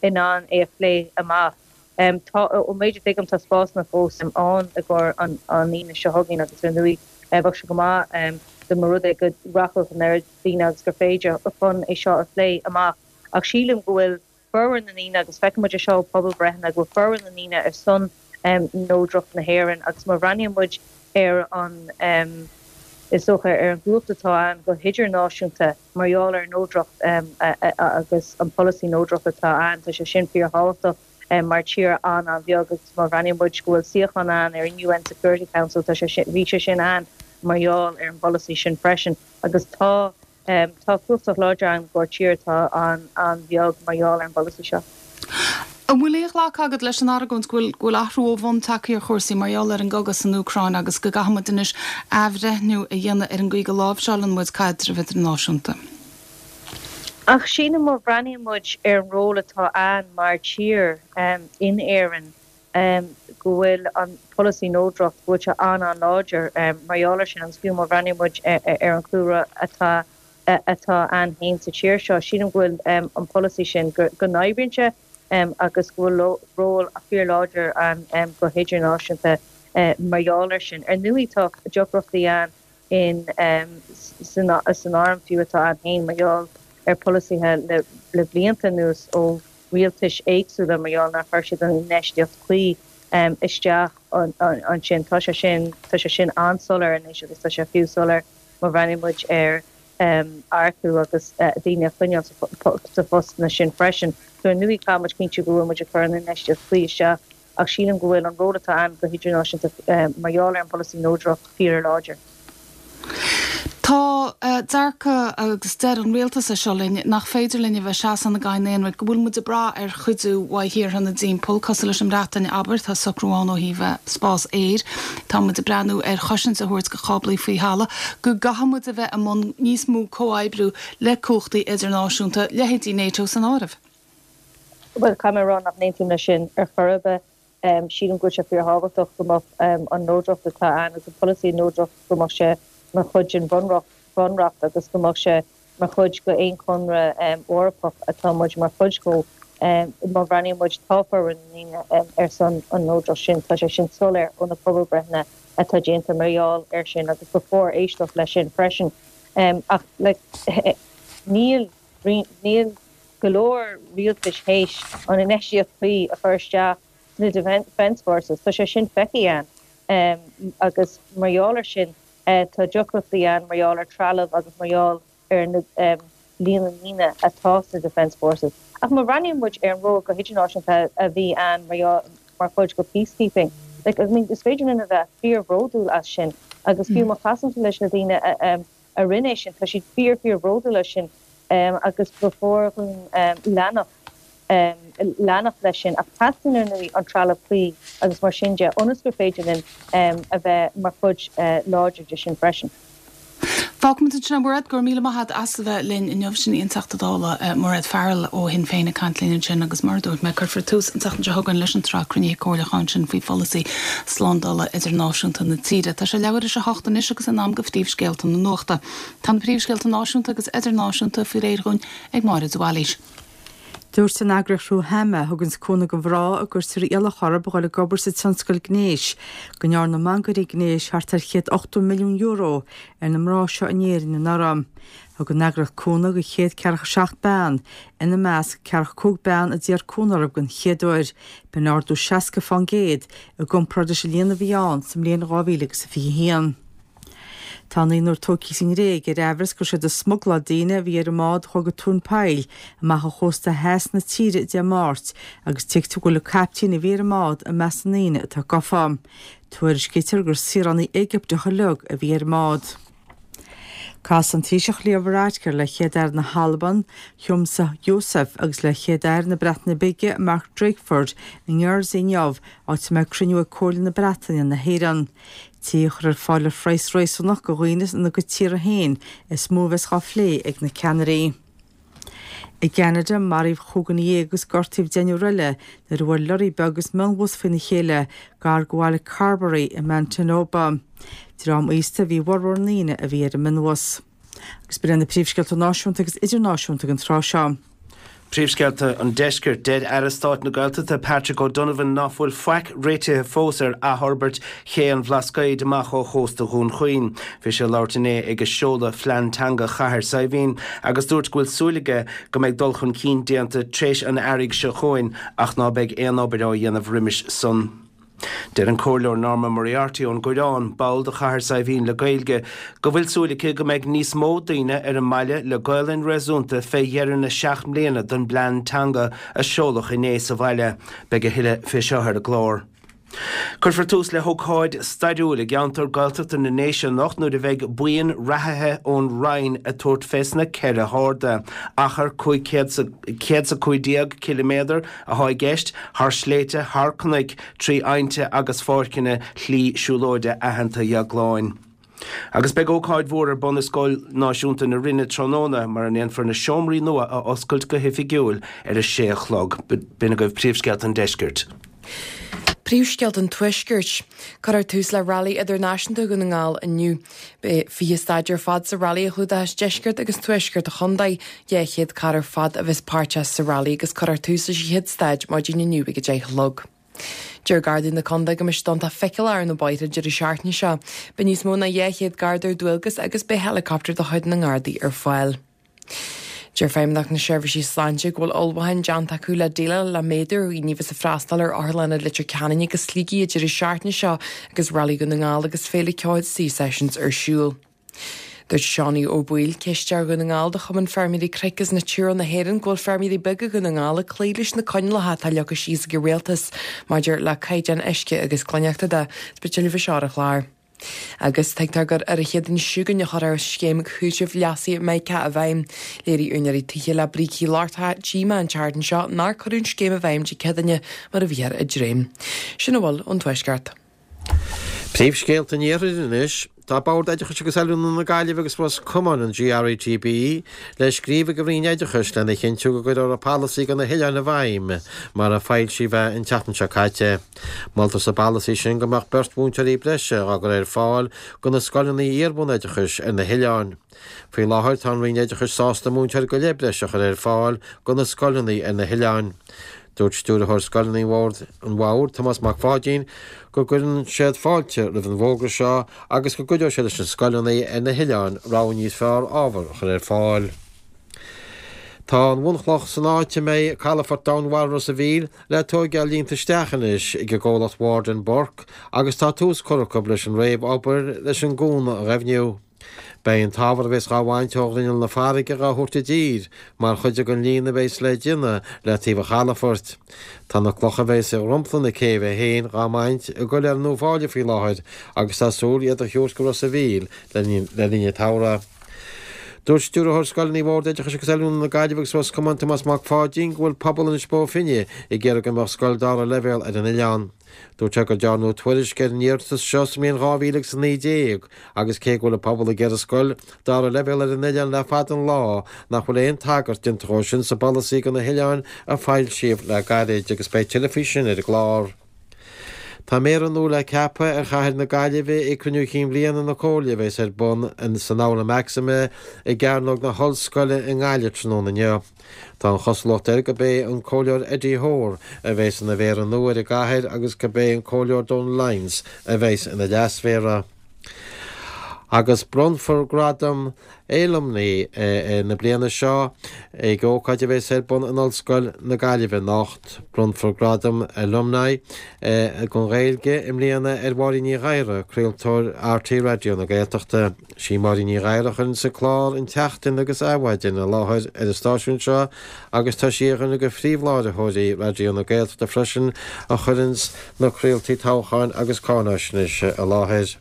in ann é a phlé amach. Tá, ón méid a thuigim, tá spásanna fós ann i gcomhair an Aoine seo chugainn agus ar ndóigh bheadh sé go maith dá mba rud é go rachadh an oiread daoine agus gur féidir chun é seo a phlé amach. Ach sílim go bhfuil formhór na ndaoine, agus feiceann muid é seo ó pobalbreitheanna, go bhfuil formhór na ndaoine ar son neodracht na hÉireann agus má bhreathnaíonn muid ar an, is dócha, ar an gcumhacht atá ann go hidirnáisiúnta, Mar gheall ar an neodracht agus an polasaí neodrachta atá ann, tá sé sin fíorthábhachtach mar tír an-an-bheag agus má bhreathnaíonn muid go bhfuil suíochán ann ar an UN Security Council, tá sé sin, bhí sé sin ann mar gheall ar an bpolasaí sin freisin agus tá, tá cumhacht láidir ann i gcomhair tír atá an-an-bheag mar gheall ar an bpolasaí seo. An bhfuil aon ghlacadh agat leis an argóint go bhfuil go bhfuil athrú ó bhun tagtha ar chúrsaí mar gheall ar an gcogadh san Úcráin agus go gcaithfidh muid anois athbhreithniú a dhéanamh ar an gcaoi go láimhseálann muid caidreamh idirnáisiúnta? Ach sílim má bhreathnaíonn muid ar an ról atá ann mar tír in Éirinn go bhfuil an polasaí neodracht, go bhfuil sé an-an-láidir mar gheall air sin agus fiú má bhreathnaíonn muid ar an chúlra atá atá ann féin sa tír seo. Sílim go bhfuil an polasaí sin, go n-oibríonn sé agus go bhfuil ról fíorláidir ann go hidirnáisiúnta mar gheall air sin. Ar ndóigh tá deacrachtaí ann in san arm fiú atá ann féin mar gheall ar pholasaithe le blianta anuas ó rialtais éagsúla mar gheall nár chuir siad an infheistíocht cuí isteach ansin. Tá sé sin, tá sé sin an-soiléir anois agus tá sé fiú soiléir Má bhreathnaíonn muid ar earcú agus daoine a choinneáil sa phostanna sin freisin, so ar ndóigh caithfidh muid cinntiú go bhfuil muid ag cur an infheistíocht chuí isteach ach sílim go bhfuil an ról atá ann go hidirnáisiúnta mar gheall ar an bpolasaí neodracht fíorláidir. Tá dearcadh, agus deir an rialtas é seo linn, nach féidir linn a bheith ag seasamh inár gcadhain aonraic, go bhfuil muid ag brath ar chuidiú uaidh thíortha ina dtimpeall, cosúil leis an mBreatain, abair, tá socrú ann ó thaobh spás aeir. Tá muid ag breathnú ar chosaint a thabhairt do cháblaí faoi thalamh, go gcaithfidh muid a bheith i mbun níos mó comhoibriú le cumhachtaí idirnáisiúnta, leithéidí NATO san áireamh. Bhuel, caithfidh mé a rá nach n-aontaím leis sin ar chor ar bith. Sílim go bhfuil sé fíorthábhachtach go mbeadh an neodracht atá ann agus an polasaí neodracht, go mbeadh sé mar chuid den bhunreacht agus go mbeadh sé mar chuid d'aon chonradh Eorpach atá muid mar chuid dhó. Má bhreathnaíonn muid, tá formhór na ndaoine ar son an neodracht sin, tá sé sin soiléir ó na pobalbreitheanna atá déanta mar gheall air sin agus ba chóir éisteacht leis sin freisin. Ach like níl, níl go leor rialtais théis an infheistíocht chuí a chur isteach sna Defence Forces, tá sé sin feicthe againn agus mar gheall air sin tá deacrachtaí ann mar gheall ar trealamh agus mar gheall ar na líon na ndaoine atá sna Defence Forces. Ach má bhreathnaíonn muid ar an ról go hidirnáisiúnta a bhí ann mar mar chuid de peacekeeping, like, I mean, is féidir linn a bheith fíor-bhródúil as sin agus fiú má chasann tú leis na daoine a rinne é sin, tá siad fíor fíor-bhródúil as sin agus ba chóir dhúinn leanacht leanacht leis sin. Ach teastaíonn ar ndóigh an trealamh cuí agus mar sin de ionas gur féidir linn a bheith mar chuid láidir de sin freisin. Fágfaimid ansin é, Mairéad, go raibh míle maith agat as a bheith linn inniu. Sin í an Teachta Dála Mairéad Farrell ó Shinn Féin ag caint linn ansin agus mar a dúirt mé, cuirfear tús an tseachtain seo chugainn leis an tsraith cruinnithe comhairliúcháin sin faoi pholasaí slándála idirnáisiúnta na tíre. Tá sé leathuair théis a hocht anois agus in am do phríomhscéalta na nuachta. Tá na príomhscéalta náisiúnta agus idirnáisiúnta faoi réir dhúinn ag Máire de Bhailís. Dúirt an eagraíocht Ruhama, a thuganns cúnamh do mhná a gcuirtear iallach orthu a dhul ag obair sa tionscal gnéis, go ndearna mangairí gnéis thart ar €180 milliún ar na mná seo in Éirinn anuraidh. Thug an eagraíocht cúnamh do 147 bean, ina measc 45 bean a d'iarr cúnamh orthu den chéad uair. B'in ardú 60 fán gcéad i gcomparáid leis an líon a bhí ann sa mbliain 2021. Tá naonúr tógtha sa nGréig ar aimhreas go raibh siad ag smugláil daoine a bhí ar an mbád a chuaigh go tóin poill amach ó chósta theas na tíre Dé Máirt agus tuigtear go bhfuil an caiptín a bhí ar an mbád i measc na ndaoine atá gafa. Tuairiscítear gur saoránaigh Éigipteacha uilig a bhí ar an mbád. Casfaidh an Taoiseach Leo Varadkar le Chéad-Aire na hAlban, Humza Yousaf, agus le Chéad-Aire na Breataine Bige, Mark Drakeford, i nGuernsey inniu, áit a mbeidh cruinniú ag Comhairle na Breataine na hÉireann. Tithe a chur ar fáil ar phraghas réasúnach do dhaoine ina gcuid tíortha féin is mó a bheas á phlé ag na ceannairí. I gCeanada, maraíodh chúig dhuine dhéag agus gortaíodh deichniúr eile nuair a bhuail lorraí beag agus mionbhus faoina chéile gar do bhaile Carberry i Manitoba. Dream aosta a bhí i bhformhór na ndaoine a bhí ar an mionbhus. Agus b'in iad na príomhscéalta náisiúnta agus idirnáisiúnta don tráth seo. Príomhscéalta an Deiscirt, Deir Aire Stáit na Gaeltachta Patrick O'Donovan ná fuil faic réitithe fós ar athfhorbairt Ché an Bhlascaoid amach ó chósta Dhún Chaoin. Bhí sé ag labhairt inné ag seoladh Phlean Teanga Chathair Saidhbhín agus dúirt go bhfuil súil aige go mbeidh dul chun cinn déanta tréis an earraigh seo chugainn ach ná beidh aon obair á dhéanamh roimis san. Deir an Comhairleoir Norma Moriarty ón gCoireán, ball de Chathair Saidhbhín le Gaeilge, go bhfuil súil aici go mbeidh níos mó daoine ar an mbaile le Gaolainn réasúnta fé dheireadh na seacht mbliana don bplean teanga a seoladh inné sa bhaile. Beidh a thuilleadh fé seo ar an gclár. Cuirfear tús le hócáid stairiúil i gceantar Gaeltachta na nDéise anocht nuair a bheidh buíon reathaithe ón Rinn ag tabhairt fés na ceithre harda, achar 515 ciliméadar, athá i gceist, thar shléibhte, thar cnoic, trí aibhnte agus pháirceanna Shlí Siúlóide aitheanta Dheagláin. Agus beidh ócáid mhór ar bun i Scoil Náisiúnta na Rinne tráthnóna mar a ndéanfar na seomraí nua a oscailt go hoifigiúil ar a sé a chlog. B'in agaibh príomhscéalta an deiscirt. Príomhscéalta an Tuaiscirt. Cuirfear tús le Railí Idirnáisiúnta Dhún na nGall inniu. Beidh 20 staid ar fad sa railí a chlúdóchas deisceart agus tuaisceart an chontae. 200 carr ar fad a bheas páirteach sa railí agus cuirfear tús leis an chéad staid maidin inniu ag 10 a chlog. Deir Gardaí na contae go mbeidh siad iontach feiceálach ar na bóithre an deireadh seachtaine seo. Beidh níos mó ná 200 Garda ar dualgas agus beidh helicopter de chuid na nGardaí ar fáil. Deir Feidhmeannacht na Seirbhísí Sláinte go bhfuil ullmhúcháin déanta acu le déileáil le méadú ar dhaoine a bheas ag freastal ar Otharlanna Leitir Ceanainn agus Shligigh an deireadh seachtaine seo agus Railí Dhún na nGall agus Féile Ceoil Sea Sessions ar siúl. Dúirt Seánie Ó Baoill, Cisteoir Dhún na nGall de Chumann Feirmeoirí Cnoic agus Natura na hÉireann go bhfuil feirmeoirí beaga Dhún na nGall ag cloí leis na coinníollacha atá leagtha síos ag an Rialtas maidir le caighdeáin uisce agus glaineachta de. Beidh tuilleadh faoi seo ar an chlár. Agus tuigtear gur ar an Chéadaoin seo chugainn a chuirfear scéim chúitimh leasaithe Mica i bhfeidhm. Léirigh úinéirí tithe le brící lochtacha díomá an tseachtain seo nár cuireadh an scéim i bhfeidhm Dé Céadaoine mar a bhíothar ag dréim. Sin a bhfuil ón Tuaisceart. Príomhscéalta an Iarthair anois. Tá Bord Oideachais agus Oiliúna na Gaillimhe agus Ros Comáin, an GRETB, le scríobh ag an Roinn Oideachais lena chinntiú go gcuirfear an polasaí do na hoileáin i bhfeidhm mar a foilsíodh é an tseachtain seo caite. Moltar sa bpolasaí sin go mbeadh beirt mhúinteoirí breise á gcur ar fáil do na scoileanna iar-bhunoideachais ar na hoileáin. Faoi láthair tá an Roinn Oideachais sásta múinteoir go leith breise a chur ar fáil do na scoileanna ar na hoileáin. Dúirt Stiúrthóir Scoileanna an Bhoird, Tomás Mac Pháidín, go gcuireann siad fáilte roimh an bhfógra seo agus go gcuideoidh sé leis na scoileanna ar na hoileáin rogha níos fearr ábhar a chur ar fáil. Tá an bhunchloch san áit a mbeidh calafort domhainmhara Ros a' Mhíl le tóigeáil líonta isteach anois ag an gcomhlacht Ward and Burke agus tá tús curtha acu leis an réamh-obair leis an gcuan a dhoimhniú. Beidh an t-ábhar a bheas dhá bhaint ó ghrinneall na farraige dhá thabhairt i dtír mar chuid den líon a bheas le déanamh le taobh an chalafoirt. Tá na clocha a bheas i dhromchla na céibhe féin dhá mbaint i gCoiléar na Fáile faoi láthair agus tá súil iad a thabhairt go Ros a' Mhíl le linn an tsamhraidh. Dúirt Stiúrthóir Scoileanna Bhord Oideachais agus Oiliúna na Gaillimhe agus Ros Comáin Tomás Mac Pháidín go bhfuil pobal Inis Bó Finne ag iarraidh go mbeadh scoil dara leibhéal ar an oileán. Dúirt sé gur dearnadh tuairisc ar an iarratas seo sa mbliain 2019 agus cé go bhfuil an pobal ag iarraidh scoil dara leibhéal ar an oileán le fada an lá, nach bhfuil aon tagairt déanta dhó sin sa bpolasaí do na hoileáin a foilsíodh le gairid agus beidh tuilleadh faoi sin ar an gclár. Tá Méara nua le ceapadh ar chathair na Gaillimhe ag Cruinniú Chinn Bhliana na Comhairle a bheas ar bun san Aula Maxima i gCearnóg na hOllscoile i nGaillimh tráthnóna inniu. Tá an chosúlacht air gurb é an Comhairleoir Eddie Hoare a bheas ina Mhéara nua ar an gcathair agus gurb é an Comhairleoir Donal Lyons a bheas ina Leas-Mhéara. Agus bronnfar gradam Alumni na bliana seo ag ócáid a bheas ar bun in Ollscoil na Gaillimhe anocht. Bronnfar gradam Alumni don Ghaeilge i mbliana ar Mháirín Ní Ghadhra, craoltóir RTÉ Raidió na Gaeltachta. Sí Máirín Ní Ghadhra a chuireanns an clár An tSeachtain agus Adhmhaidin i láthair ar an stáisiún seo agus tá sí ar dhuine de phríomhláithreoirí Raidió na Gaeltachta freisin a chuireanns na craoltaí toghcháin agus cáináisnéise i láthair.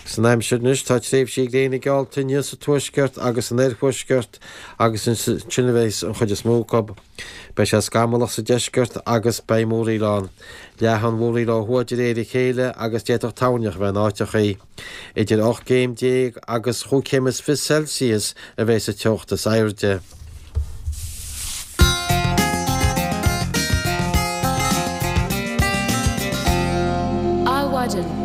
San aimsir anois tá tréimhsí gréine geallta inniu sa tuaisceart agus san oirthuaisceart agus ansin a bheas an chuid is mó acu. Beidh sé scamallach sa deisceart agus beidh múraíl ann. Leathfaidh an mhúraíl ó thuaidh de réir a chéile agus d'fhéadfadh toirneach a bheith in áiteachaí. Idir 18 gcéim agus chúig chéim is 20 Celsius a bheidh sa teocht is airde. Adhmhaidin.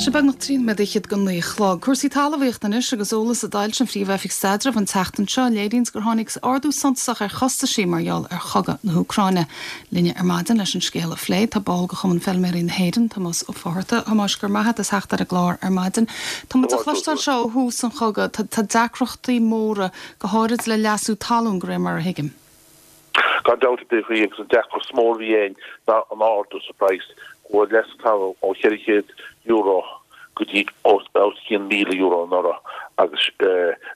Sé beagnach 13 nóiméad go 9 a chlog. Cúrsaí talmhaíochta anois agus eolas a d'fhoilsigh an Phríomh-Oifig Staidrimh an tseachtain seo a léiríonns gur tháinig ardú suntasach ar chostaisí mar gheall ar chogadh na hÚcráine. Linne ar maidin leis an scéal a phlé tá ball de Chumann Feilméaraí na hÉireann, Tomás Ó Fátharta. A Thomáis, go raibh maith agat as theacht ar an gclár ar maidin. Tá muid ag cloisteáil seo ó thús an chogaidh. Tá deacrachtaí móra, go háirid le leasú talún, de réir mar a thuigim. Gan dabht ar bith agus an deacracht is mó a bhí againn ná an ardú sa praghas. Chuaigh leasú talún ó €400 go dtí os cionn €1,000 anuraidh agus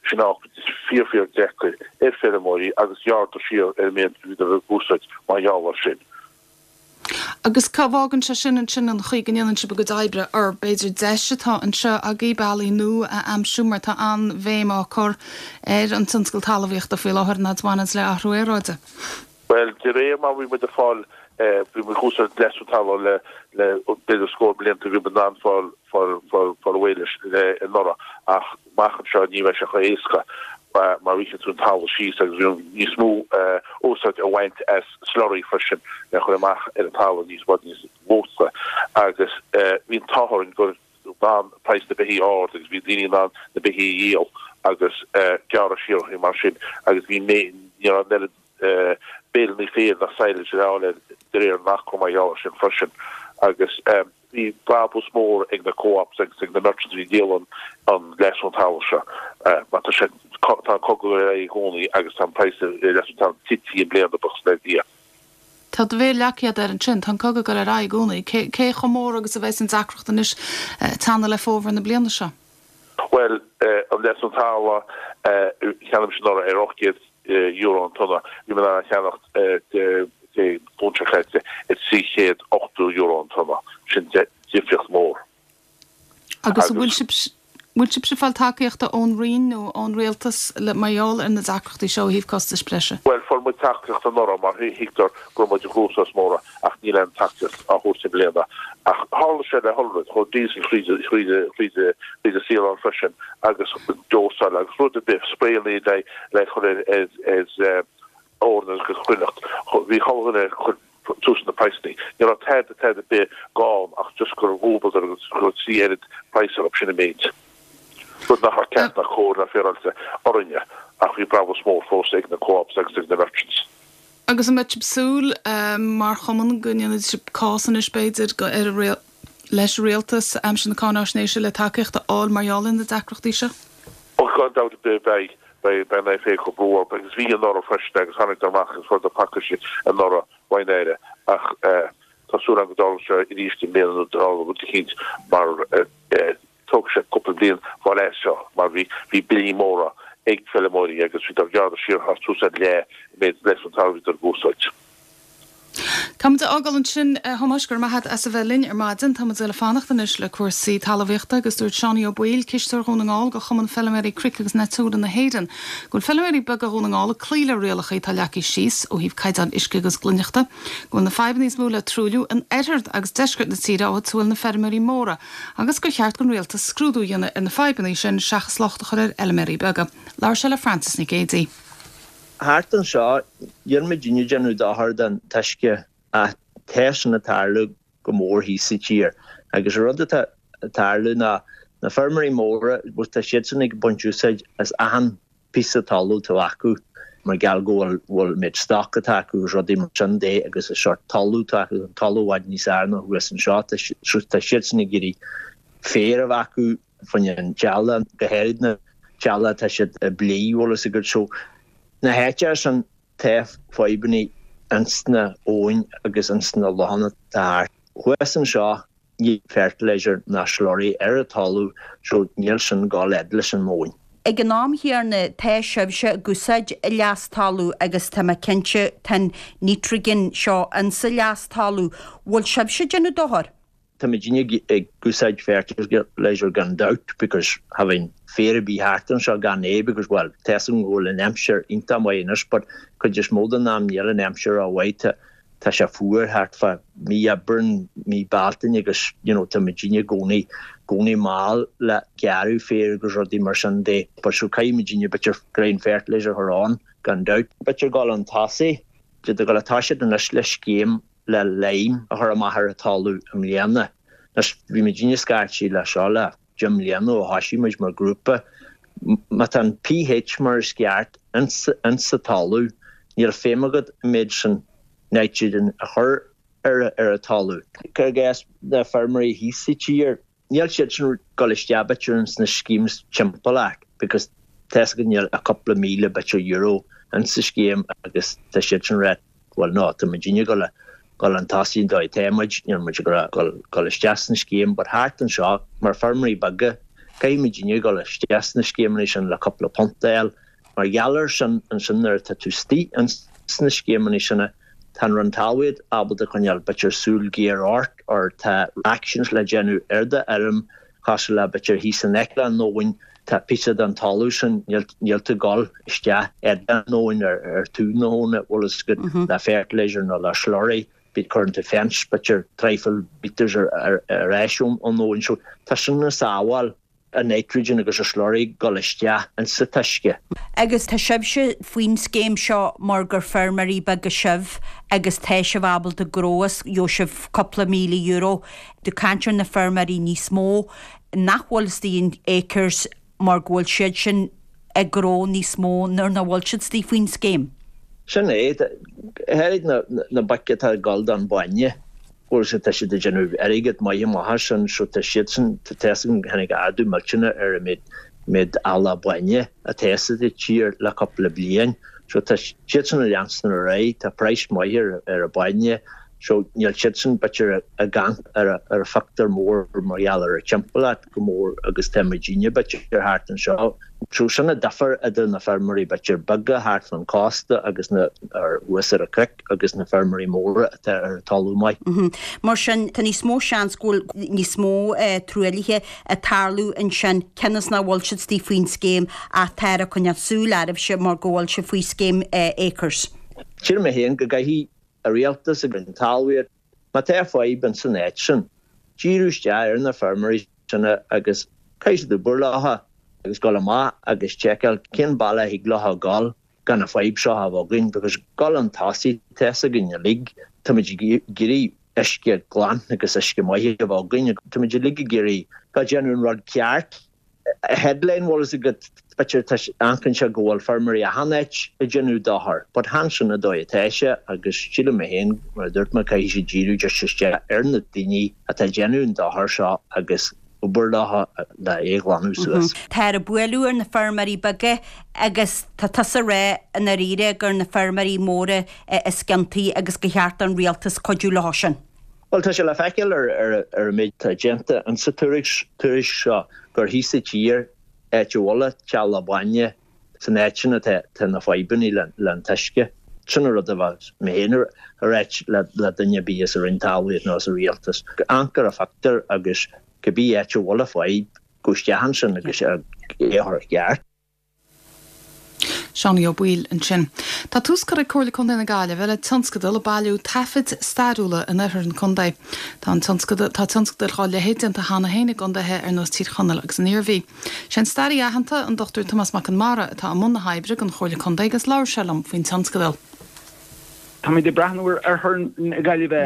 sin fíor fíor deacair ar feirmeoirí agus ghearradar siar ar an méid a bhíodar ag úsáid mar gheall air sin. Agus cá bhfágann sé sin ansin an chaoi go ndéanann sibh bhur gcuid oibre or b'fhéidir deis atá anseo agaibh bealaí nua a aimsiú mar tá an-bhéim á cur ar an tionscal talmhaíochta faoi láthair an fhad a bhaineanns le athrú aeráide. Bhuel, de réir mar bhí muid ag fáil, bhí muid ag úsáid leasú talún le, le b'fhéidir scór blianta, bhí muid in ann fáil, fáil, fáil, fáil réidh leis le anuraidh ach amach anseo ní bheidh sé chomh héasca mar rítheann tú an talamh síos agus bhí níos mó úsáid a bhaint as slurry freisin le chur amach ar an talamh níos, bhfad níos mó agus bhí an t-ádh orainn gur d'fhan praghas na beithí ard agus bhí daoine in ann na beithí a dhíol agus gearradh siar orthu mar sin agus bhí ní raibh an oiread béileanna féir ná silage le fháil de réir an acra mar gheall air sin freisin agus bhí brabús mór ag na co-ops agus ag na merchants a bhí ag díol an an leasú talaimh seo mar tá sé tá an cogadh ar aghaidh i gcónaí agus tá an praghas ar leasú talaimh tite i mbliana buíochas le Dia. Tá do mhéar leagtha agat air ansin. Tá an cogadh ag dul ar aghaidh i gcónaí. Cé cé chomh mór agus a bheas an deacracht anois ag teannadh le fómhar na bliana seo? Bhuel, an leasú talaimh, cheannaigh mise anuraidh ar €800 an tonna. Bhí mé in ann a cheannacht Dé Luain seo caite ar €380 an tonna. Sin difríocht mhór. Agus an bhfuil sibh, bhfuil sibhse ag fáil tacaíochta ón Roinn nó ón Rialtas le, mar gheall ar na deacrachtaí seo ó thaobh costais breise? Bhuel, fuair muid tacaíocht anuraidh mar thuigtear go raibh muid i gcruachás mór ach. Níl aon tacaíocht á thabhairt i mbliana. Ach tharla sé le chuile rud, chuaigh diesel thríd thríd thríd an saol ann freisin agus dósáil agus rud ar bith, spraeanna le le cur ar ar eorna agus cruithneacht. Bhí chuile dhuine ag cur suas na praghsanna. Ní raibh tada tada ar bith gann ach just gur dhúbaileadar agus go raibh 3 oiread praghas orthu, sin an méid. Rud nach raibh ceart ná cóir ná féaráilte orainne ach bhí brabús mór fós ag na co-ops agus ag na merchants. Agus an mbeidh sibh ag súil, mar chumann, go ndéanfaidh sibh cás anois, b'fhéidir, leis an Rialtas aimsir na cáináisnéise le tacaíocht a fháil mar gheall ar na deacrachtaí seo? Ó, gan dabht ar bith beidh. Beidh an IFA ag cur brú orthu agus bhí anuraidh freisin agus tháinig amach agus fuaireadar pacáiste anuraidh ón Aire ach tá súil agam go dtarlóidh sé arís i mbliana nó dtarlóidh rud eicínt mar Tógfaidh sé cúpla bliain fáil as seo mar bhí bhí billí móra ag feilméaraí agus bhíodar ag gearradh siar thar suas ar leath an méid leis an talamh a bhíodar ag úsáid. Tá muid á fhágáil ansin, a Thomáis, go raibh maith agat as a bheith linn ar maidin. Tá muid ag fanacht anois le cúrsaí talmhaíochta agus dúirt Seánie Ó Baoill, cisteoir Dhún na nGall do Chumann Feilméaraí Cnoic agus Natura na hÉireann, go bhfuil feilméaraí beaga Dhún na nGall ag cloí le rialacha atá leagtha síos ó thaobh caighdeán uisce agus glaineachta, go bhfuil na fadhbanna is mó le truailliú in oirthear agus deisceart na tíre áit a bhfuil na feirmeoirí móra agus gur cheart don rialtas scrúdú a dhéanamh ar na fadhbanna sin seachas locht a chur ar fheilméaraí beaga. Labhair sé le Frances Nic Géadaigh. Thart anseo, níl muidinne ag déanamh dochar don t-uisce ach tá sin ag tarlú go mór thíos sa tír. Agus an rud atá ag tarlú ná na feirmeoirí móra, bhuel tá siadsan ag baint úsáid as achan píosa talamh atá acu mar gheall go bhfuil bhfuil an méid stoc atá acu agus rudaí mar sin de agus an sórt talamh atá acu, an talamh i bhfad níos fhearr ná thuas anseo. Tá so tá siadsan ag iarraidh féar a bheith acu fá choinne an teaghlach, go háirid na teaghlach atá siad ag plé, bhfuil fhios agat. So na háiteacha sin tá fadhbanna ins na abhainn agus ins na lochanna atá thart. Thuas anseo Níl fertilizer ná slurry ar an talamh so níl sin ag dul fhad leis an móin. Ag an am chéanna tá sibhse ag úsáid leas talamh agus tá mé cinnte tá an nitrogen seo insa leas talamh. Bhfuil sibhse ag déanamh dochar? Tá muidinne ag úsáid fertilizer gan dabht because cha bheidh féar ar bith thart anseo gan é because bhuel tá fhios agam go bhfuil an aimsir iontach maith anois but cuid is mó den am níl an aimsir ró-mhaith tá tá sé fuar thart fá mí Aibreán, mí Bealtaine agus you know tá muidinne i gcónaí, gcónaí mall le gearradh féir agus rudaí mar sin de but so caithfidh muidinne b'fhéidir grain fertilizer a chur ann gan dabht. B'fhéidir dul chun tosaigh, tá dul ag toiseacht anois le scéim le lime a chur amach ar an talamh i mbliana. Anois bhí muidinne scaití le seo le 10 mbliana ó thoisigh muid mar grúpa. Má tá an pH mar is ceart ins sa talamh, níl feidhm agat an méid sin nitrogen a chur ar an talamh. Cuir i gcás na feirmeoirí thíos sa tír, níl siadsan ag dul isteach b'fhéidir ins na schemes timpeallacht because tá fhios agat níl ach cúpla míle b'fhéidir euro ins sa scéim agus tá siadsan ag rá Bhuel no, tá muidinne ag dul dul chun tosaigh an dóigh atá muid, níl muid ag dul dul isteach sna scéim but thart anseo mar feirmeoirí beaga caithfidh muidinne dul isteach sna scéimeanna sin le cúpla punt a fháil. Mar gheall air sin ansin nuair atá tú istigh ins na scéimeanna sin tá an Roinn Talmhaíochta ábalta coinneáil b'fhéidir súil ghéar ort or tá actions le déanamh ar do fheirm cosúil le b'fhéidir thíos in aice le an abhainn, tá píosa den talamh sin, níl tú ag dul isteach ar an abhainn, ar taobh na habhann, bhfuil fhios agat, le fertilizer nó le slurry, bíonn, cuireann tú fence b'fhéidir traidhfil metres ar ais ón abhainn. So tá sin ag sábháil an nitrogen agus an slurry ag dul isteach insa t-uisce. Agus tá sibhse faoin scéim seo mar gur feirmeoirí beaga sibh agus tá sibh ábalta gnó is gheobhaidh sibh cúpla €1,000 Ag caint ar na feirmeoirí níos mó nach bhfuil istigh in Acres mar go bhfuil siad sin ag gnó níos mó nuair nach bhfuil siad istigh faoin scéim. Sin é. Tháinig na boic atá ag dul don bhainne, bhfuil siad, tá siad ag déanamh airgead maith amach as sin so tá siadsan, tá fhios agam, tháinig ardú millteanach ar an méid, méid eallach bainne atá sa tír le cúpla bliain so tá siadsan ag leanstan ar aghaidh, tá praghas maith ar ar an bainne. So níl siadsan b'fhéidir ag amharc ar an phictiúr mór mar gheall ar an timpeallacht go mór agus tá muidinne b'fhéidir thart anseo. So sin an difear idir na feirmeoirí b'fhéidir beaga thart fan cósta agus na ar thuas ar an cnoic agus na feirmeoirí móra atá ar an talamh maith. Mar sin tá níos mó seans go bhfuil níos mó truaillithe ag tarlú ansin cionn is nach bhfuil siad istigh faoin scéim ach táthar ag coinneáil súil oraibhse mar go bhfuil sibh faoi scéim Acres. Sílim mé féin go gcaithfidh an rialtas agus an talmhaíocht. Má tá fadhb ins an áit sin, díriú isteach ar na feirmeoirí sin agus caithfidh siad obair leotha agus dul amach agus tseiceáil cén bealach a thig leotha dul gan an fadhb seo a bheith againn because dul chun tosaigh, tá fhios againn uilig, táimid ag iarraidh uisce glan agus uisce maith a bheith againn, táimid uilig ag iarraidh go déanamh an rud ceart. Headline, bhfuil fhios agat, b'fhéidir tá amharcann sé go bhfuil feirmeoirí achan áit ag déanamh dochar, but chan sin an dóigh atá sé agus sílim mé féin, mar a dúirt mé, caithfidh siad díriú just isteach ar na daoine atá ag déanamh an dochar seo agus obair leo le é a ghlanadh suas. Táthar ag bualadh ar na feirmeoirí beaga agus tá tusa ag rá i ndáiríre gur na feirmeoirí móra is ciontaí agus gur cheart don rialtas cuidiú leo sin. Bhuel, tá sé le feiceáil ar an méid atá déanta insa tuairisc seo gur thíos sa tír, áit a bhfuil an teallach bainne, san áit sin atá na fadhbanna le an t-uisce. Sin an rud a bheadh mé féin a ráit le duine ar bith as an Roinn Talmhaíochta nó as an Rialtas. Amharc ar an phictiúr agus cibé áit a bhfuil an fadhb, gabh isteach ansin agus é a chur i gceart. Seánie Ó Baoill ansin. Tá tús curtha ag Comhairle Contae na Gaillimhe le tionscadal ag bailiú taifid stairiúla in oirthear an chontae. Tá an tionscadal tá tionscadail dhá leithéid déanta cheana féin i gcontaetha ar nós Tír Chonaill agus an Iarmhí. Sé an staraí aitheanta, an Dr Tomás Mac Con Mara, atá i mbun na hoibre don Chomhairle Contae agus labhair sé liom faoin tionscadal. Táimid ag breathnú ar Oirthear na Gaillimhe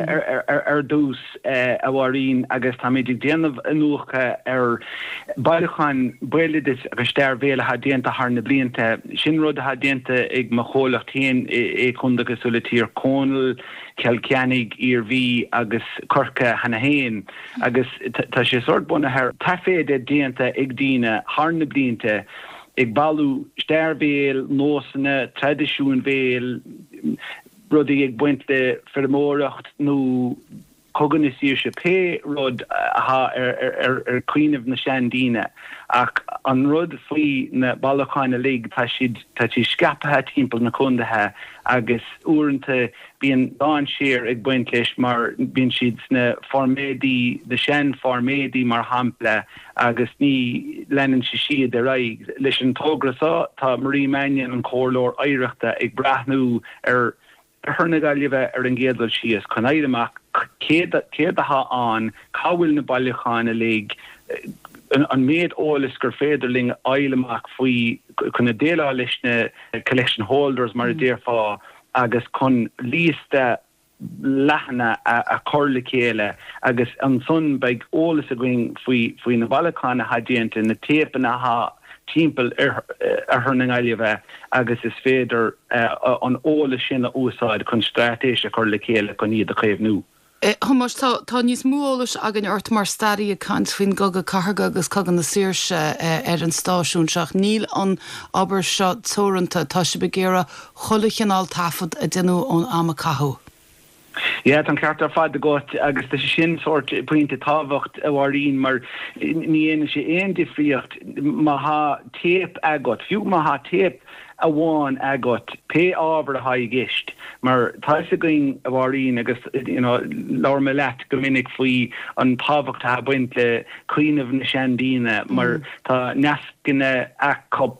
ar dtús, a Mháirín, agus táimid ag déanamh iniúchadh ar bailiúcháin béaloidis agus stair bhéil atá déanta thar na blianta. Sin rud atá déanta ag mo chomhlacht féin i contaetha cosúil le Tír Chonaill, Cill Chainnigh, Iarmhí agus Corcaigh cheana féin agus tá sé sórt bunaithe ar taifead déanta ag daoine thar na blianta ag bailiú stair bhéil, nósanna, traidisiúin bhéil, rudaí ag baint le feirmeoireacht nó Cogadh na Saoirse, pé rud atá ar chuimhneamh na seandaoine. Ach an rud faoi na bailiúcháin uilig, tá siad tá siad scaipthe timpeall na contaetha agus uaireanta bíonn dainséar ag baint leis mar bíonn siad sna formáidí, na seanfhormáidí mar shampla, agus ní leanann sé siad ar aghaidh. Leis an togra seo, tá Marie Mannion, an Comhairleoir Oidhreachta, ag breathnú ar Oirthear na Gaillimhe ar an gcéad dul síos chun fháil amach céard atá ann, cá bhfuil na bailiúcháin uilig, an méid eolais gur féidir linn a fháil amach faoi chun déileáil leis na collection holders mar a déarfá agus chun liosta leathana a chur le chéile agus ansan beidh eolas againn faoi faoi na bailiúcháin atá déanta, na téipeanna atá timpeall Oirthear na Gaillimhe agus is féidir an eolas sin a úsáid chun straitéis a chur le chéile chun iad a chaomhnú. A Thomáis, tá tá níos mó eolais againn ort mar staraí ag caint faoin gCogadh Cathartha agus Cogadh na Saoirse ar an stáisiún seo ach níl an obair seo teoranta, tá sibh ag iarraidh chuile chineál taifead a déanamh ón am a caitheadh. Yeah, tá an ceart ar fad agat agus tá sé sin sórt pointe tábhacht, a Mháirín, mar ní dhéanann sé aon difríocht má thá téip agat, fiú má thá téip amháin agat, pé ábhar athá i gceist, mar tá fhios againn, a Mháirín, agus you know labhair mé leat go minic faoi an tábhacht athá ag baint le cuimhneamh na seandaoine mar tá nascanna acu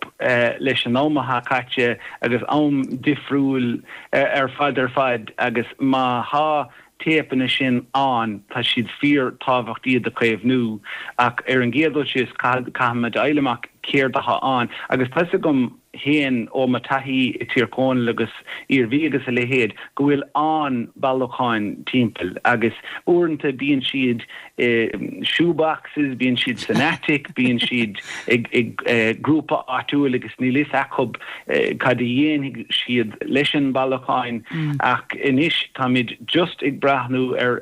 leis an am athá caite agus am difriúil ar fad ar fad agus má thá téipeanna sin ann tá siad fíor tábhacht iad a chaomhnú ach ar an gcéad dul síos caithfimid a fháil amach céard athá ann agus tá fhios agam fhéin ó mo taithí i Tír Chonaill agus Iarmhí agus a leithéid go bhfuil an-bailiúcháin timpeall agus uaireanta bíonn siad i shoeboxes, bíonn siad san attic, bíonn siad ag grúpa áitiúil agus níl fhios acu cad a dhéanfaidh siad leis an bailiúcháin ach anois táimid just ag breathnú ar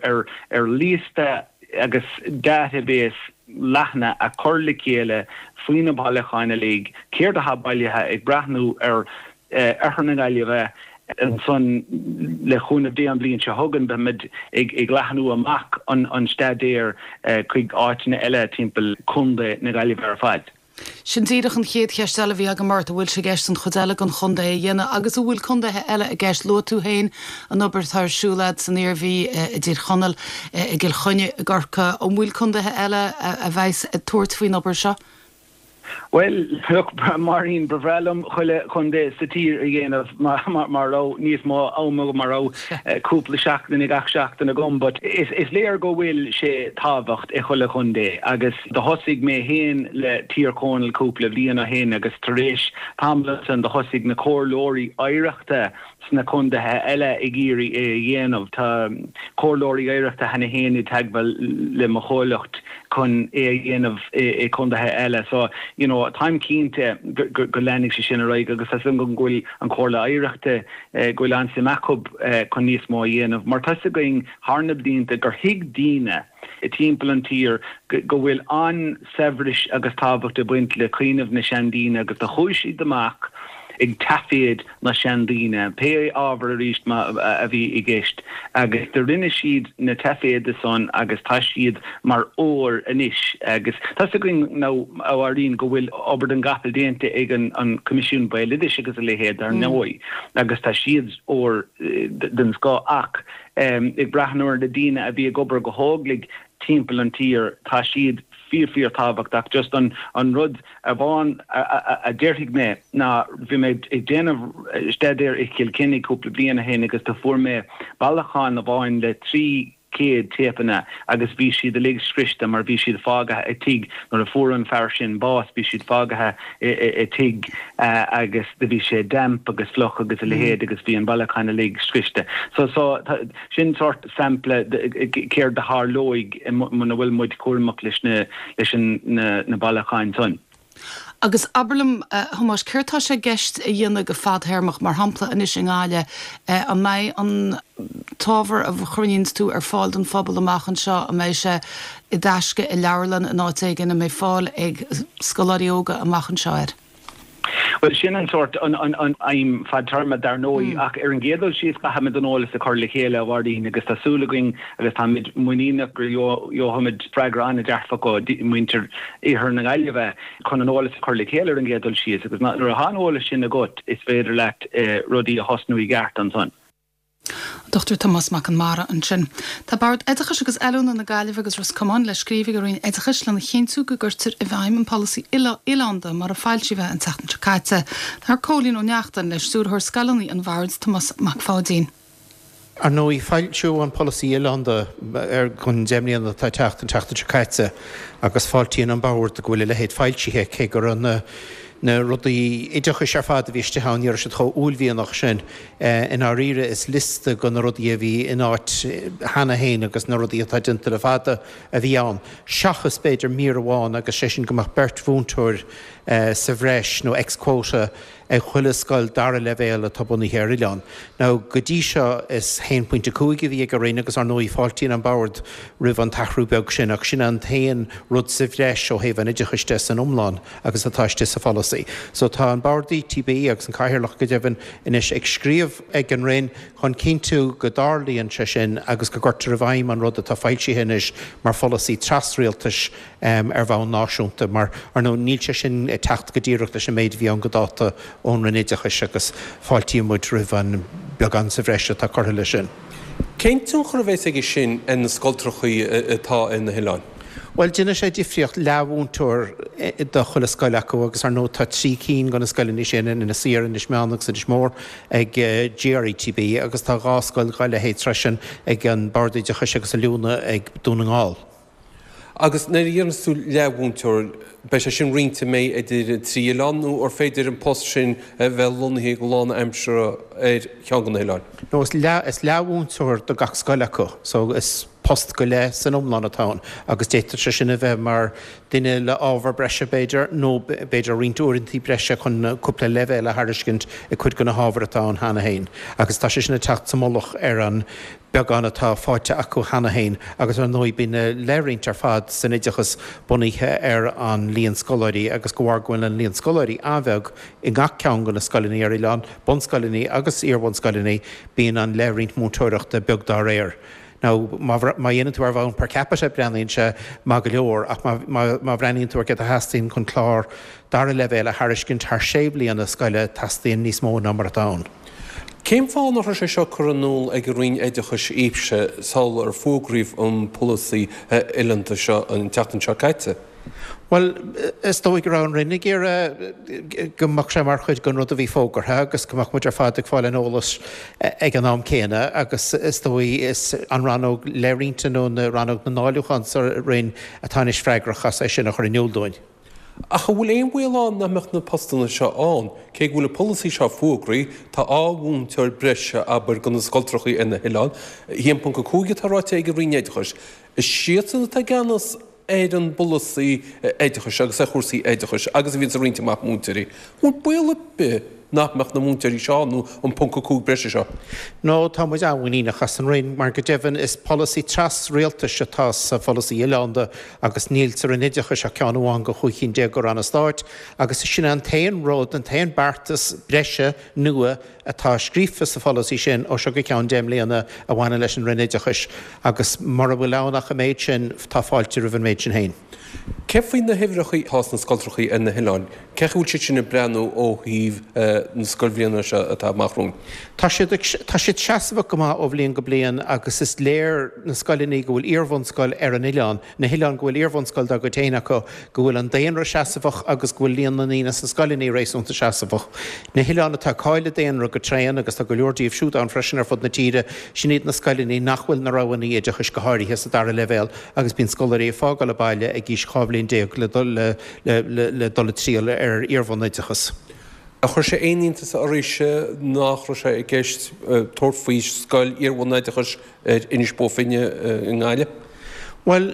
ar liosta agus database leathana a chur le chéile faoi na bailiúcháin uilig, céard atá bailithe, ag breathnú ar Oirthear na Gaillimhe ansan le cúnamh Dé an bhliain seo chugainn beimid ag leathnú amach an staidéar chuig áiteanna eile timpeall Contae na Gaillimhe ar fad. Sin díreach an chéad cheist eile a bhí agam ort, an bhfuil sé i gceist an chuid eile den chontae a dhéanamh agus an bhfuil contaetha eile i gceist? Luaigh tú féin an obair atá ar siúl agat san Iarmhí, i dTír Chonaill, i gCill Chainnigh, i gCorcaigh. An bhfuil contaetha eile a bheas ag tabhairt faoin obair seo? Bhuel, look, Máirín, ba bhreá liom chuile chontae sa tír a dhéanamh má raibh níos mó am agam, má raibh cúpla seachtain ag gach seachtain agam, but is léir go bhfuil sé tábhacht i chuile chontae agus do thosaigh mé féin le Tír Chonaill cúpla bhliain ó shin agus tar éis tamall ansan do thosaigh na comhairleoirí oidhreachta sna contaetha eile ag iarraidh é a dhéanamh. Tá comhairleoirí oidhreachta cheana féin i dteagmháil le mo chomhlacht chun é a dhéanamh i contaetha eile. So, you know, táim cinnte go leanfaidh sé sin ar aghaidh agus tá 's agam go bhfuil an Chomhairle Oidhreachta, go bhfuil an-suim acu chun níos mó a dhéanamh. Mar tá's againn thar na blianta gur thuig daoine timpeall an tír go bhfuil an-saibhreas agus tábhacht ag baint le cuimhneamh na seandaoine agus do chuaigh siad amach ag taiféad na seandaoine, pé ábhar arís a bhí i gceist, agus do rinne siad na taiféada san agus tá siad mar ór anois. Agus tá's againn now, a Mháirín, go bhfuil obair den gcapall déanta ag an Coimisiún Béaloidis agus a leithéid, dar ndóigh, agus tá siad ór den scoth ach ag breathnú ar na daoine a bhí ag obair go hóglaigh timpeall an tír, tá siad fíor fíor tábhachtach. Just an an rud amháin a déarfaidh mé ná bhí mé ag déanamh staidéar i Cill Chainnigh cúpla bliain ó shin agus do fuair mé bailiúchán amháin le 300 téipeanna agus bhí siad uilig scriosta mar bhí siad fágaithe i tigh nuair a fuair an fear sin bás bhí siad fágaithe i tigh agus do bhí sé damp agus fliuch agus a leithéid agus bhí an bailiúchán uilig scriosta. So so Sin sórt sampla de céard a tharlóidh muna bhfuil muid cúramach leis na leis na bailiúcháin san. Agus abair liom, a Thomáis, céard tá sé i gceist a dhéanamh go fadthéarmach, mar shampla anois i nGaillimh, an mbeidh an t-ábhar a chruinníonns tú ar fáil don phobal amach anseo, an mbeidh sé i dtaisce i leabharlann in áit éigin, an mbeidh fáil ag scoláirí óga amach anseo air? Bhuel, sin an sórt, an aidhm fadtéarma, dar ndóigh, ach ar an gcéad dul síos caithfimid an eolas a chur le chéile, a Mháirín, agus tá súil againn agus táimid muiníneach go gheobhaimid freagra an-dearfach ó mhuintir Iarthar na Gaillimhe chun an eolas a chur le chéile ar an gcéad dul síos agus nuair atá an eolas sin agat is féidir leat rudaí a thosnú i gceart ansan. An Dr Tomás Mac Con Mara ansin. Tá Bord Oideachais agus Oiliúna na Gaillimhe agus Ros Comáin le scríobh ag an Roinn Oideachais lena chinntiú go gcuirtear i bhfeidhm an polasaí oileánda mar a foilsíodh é an tseachtain seo caite. Labhair Cóilín Ó Neachtain le Stiúrthóir Scoileanna an Bhoird, Tomás Mac Pháidín. Ar ndóigh, foilsíodh an polasaí oileánda don 10 mbliana atá ag teacht an tseachtain seo caite agus fáiltíonn an Bord go bhfuil a leithéid foilsithe cé go raibh na na rudaí oideachais ar fad a bhí istigh ann, ní raibh siad chomh uaillmhianach sin. I ndáiríre, is liosta de na rudaí a bhí in áit cheana féin agus na rudaí atá déanta le fada a bhí ann, seachas b'fhéidir mír amháin agus sé sin go mbeadh beirt mhúinteoir sa bhreis nó ex-quota ag chuile scoil dara leibhéal atá bunaithe ar oileán. Now, go dtí seo is 1.5 a bhí ag an Roinn agus ar ndóigh fáiltíonn an Bord roimh an t-athrú beag sin ach sin an t-aon rud sa bhreis ó thaobh an oideachais de san iomlán agus atá istigh sa pholasaí. So tá an Bord ETB agus an Cathaoirleach go deimhin anois ag scríobh ag an Roinn chun cinntiú go dtarlaíonn sé sin agus go gcuirtear i bhfeidhm an rud atá foilsithe anois mar pholasaí tras-rialtais ar bhonn náisiúnta mar, ar ndóigh, níl sé sin ag teacht go díreach leis an méid a bhí ann go dáta ón Roinn Oideachais agus fáiltíonn muid roimh an beagán sa bhreis atá curtha leis sin. Cén tionchar a bheas aige sin ar na scoltrachaí atá ar na hoileáin? Bhuel, déanfaidh sé difríocht, leathmhúinteoir do chuile scoil acu agus ar ndóigh tá 3 cinn de na scoileanna sin in Inis Oírr, Inis Meáin agus Inis Mór ag GRETB agus tá 2 scoil dá leithéid freisin ag an Bord Oideachais agus Oiliúna ag Dún na nGall. Agus nuair a deireanns tú leathmhúinteoir, beidh sé sin roinnte an mbeidh idir an trí oileán nó ar féidir an post sin a bheith lonnaithe go lánaimseartha ar cheann de na hoileáin? No, is leath, is leathmhúinteoir do gach scoil acu, so is post go leith san iomlán atá ann agus d'fhéadfadh sé sin a bheith mar duine le ábhar breise b'fhéidir nó b'fhéidir roinnt uaireantaí breise chun cúpla leibhéal a thairiscint i cuid de na hábhair atá ann cheana féin agus tá sé sin ag teacht sa mullach ar an beagán atá faighte acu cheana féin agus ar ndóigh bíonn na leithroinnt ar fad san oideachas bunaithe ar an líon scoláirí agus de bharr go bhfuil an líon scoláirí an-bheag i ngach ceann de na scoileanna ar oileán, bunscoileanna agus iarbhunscoileanna, bíonn an leithroinnt múinteoireachta beag dá réir. Now má dhéanann tú ar bhonn per capita breathnaíonn sé maith go leor ach má bhreathnaíonn tú ar céard a theastaíonn chun clár dara leibhéal a thairiscint thar sé bliana scoile teastaíonn níos mó ná mar atá ann. Cén fáth nach raibh sé seo curtha in iúl ag an Roinn Oideachais daoibhse sular fógraíodh an polasaí oileánda seo an tseachtain seo caite? Bhuel, is dóigh go raibh an Roinn ag iarraidh go mbeadh sé mar chuid den rud a bhí fógartha agus go mbeadh muid ar fad ag fáil an eolais ag an am céanna agus is dóigh is an rannóg leithroinnte nó na rannóg na ndáiliúchán sa Roinn atá anois freagrach as é sin a chur in iúl dúinn. Ach an bhfuil aon bhaol ann nach mbeadh na postanna seo ann? Cé go bhfuil an polasaí seo fógraithe, tá 2 mhúinteoir breise, abair, do na scoltrachaí ar na hoileáin. 1.5 atá ráite ag an Roinn Oideachais. Is iadsan atá i gceannas ar an bpolasaí oideachais agus ar chúrsaí oideachais agus a bhíonns ag roinnt amach múinteoirí. An bhfuil baol ar bith nach mbeadh na múinteoirí seo ann nó an ponc 5 breise seo? No, tá muid an-mhuiníneach as an Roinn mar go deimhin is polasaí tras-rialtais atá sa pholasaí oileánda agus níl sa Roinn Oideachais ach ceann amháin de chúig chinn déag de ranna stáit agus sin é an t-aon rud, an t-aon beartas breise nua atá scríofa sa pholasaí sin ó seo go ceann 10 mbliana a bhaineann leis an Roinn Oideachais agus mura bhfuil ann ach an méid sin, tá fáilte roimh an méid sin féin. Cé faoi na huimhreacha atá sna scoltrachaí ar na hoileáin? Cén chaoi a bhfuil siad sin ag breathnú ó thaobh na scoilbhliana seo atá amach romhainn? Tá siad ag, tá siad seasmhach go maith ó bhliain go bliain agus is léir na scoileanna go bhfuil iarbhunscoil ar an oileán, na hoileáin go bhfuil iarbhunscoil dá gcuid féin acu, go bhfuil an daonra seasmhach agus go bhfuil líon na ndaoine sna scoileanna réasúnta seasmhach. Na hoileáin atá ag cailleadh daonra go tréan, agus tá go leor díobh siúd ann freisin ar fud na tíre, sin iad na scoileanna nach bhfuil na roghanna oideachais, go háirithe sa dara leibhéal, agus bíonn scoláirí ag fágáil an baile ag aois 12 bhliain le le dul ag triall ar iarbhunoideachas. Ar chuir sé aon iontas oraibhse nach raibh sé i gceist tabhairt faoi scoil iarbhunoideachais ar Inis Bó Finne i nGaillimh? Bhuel,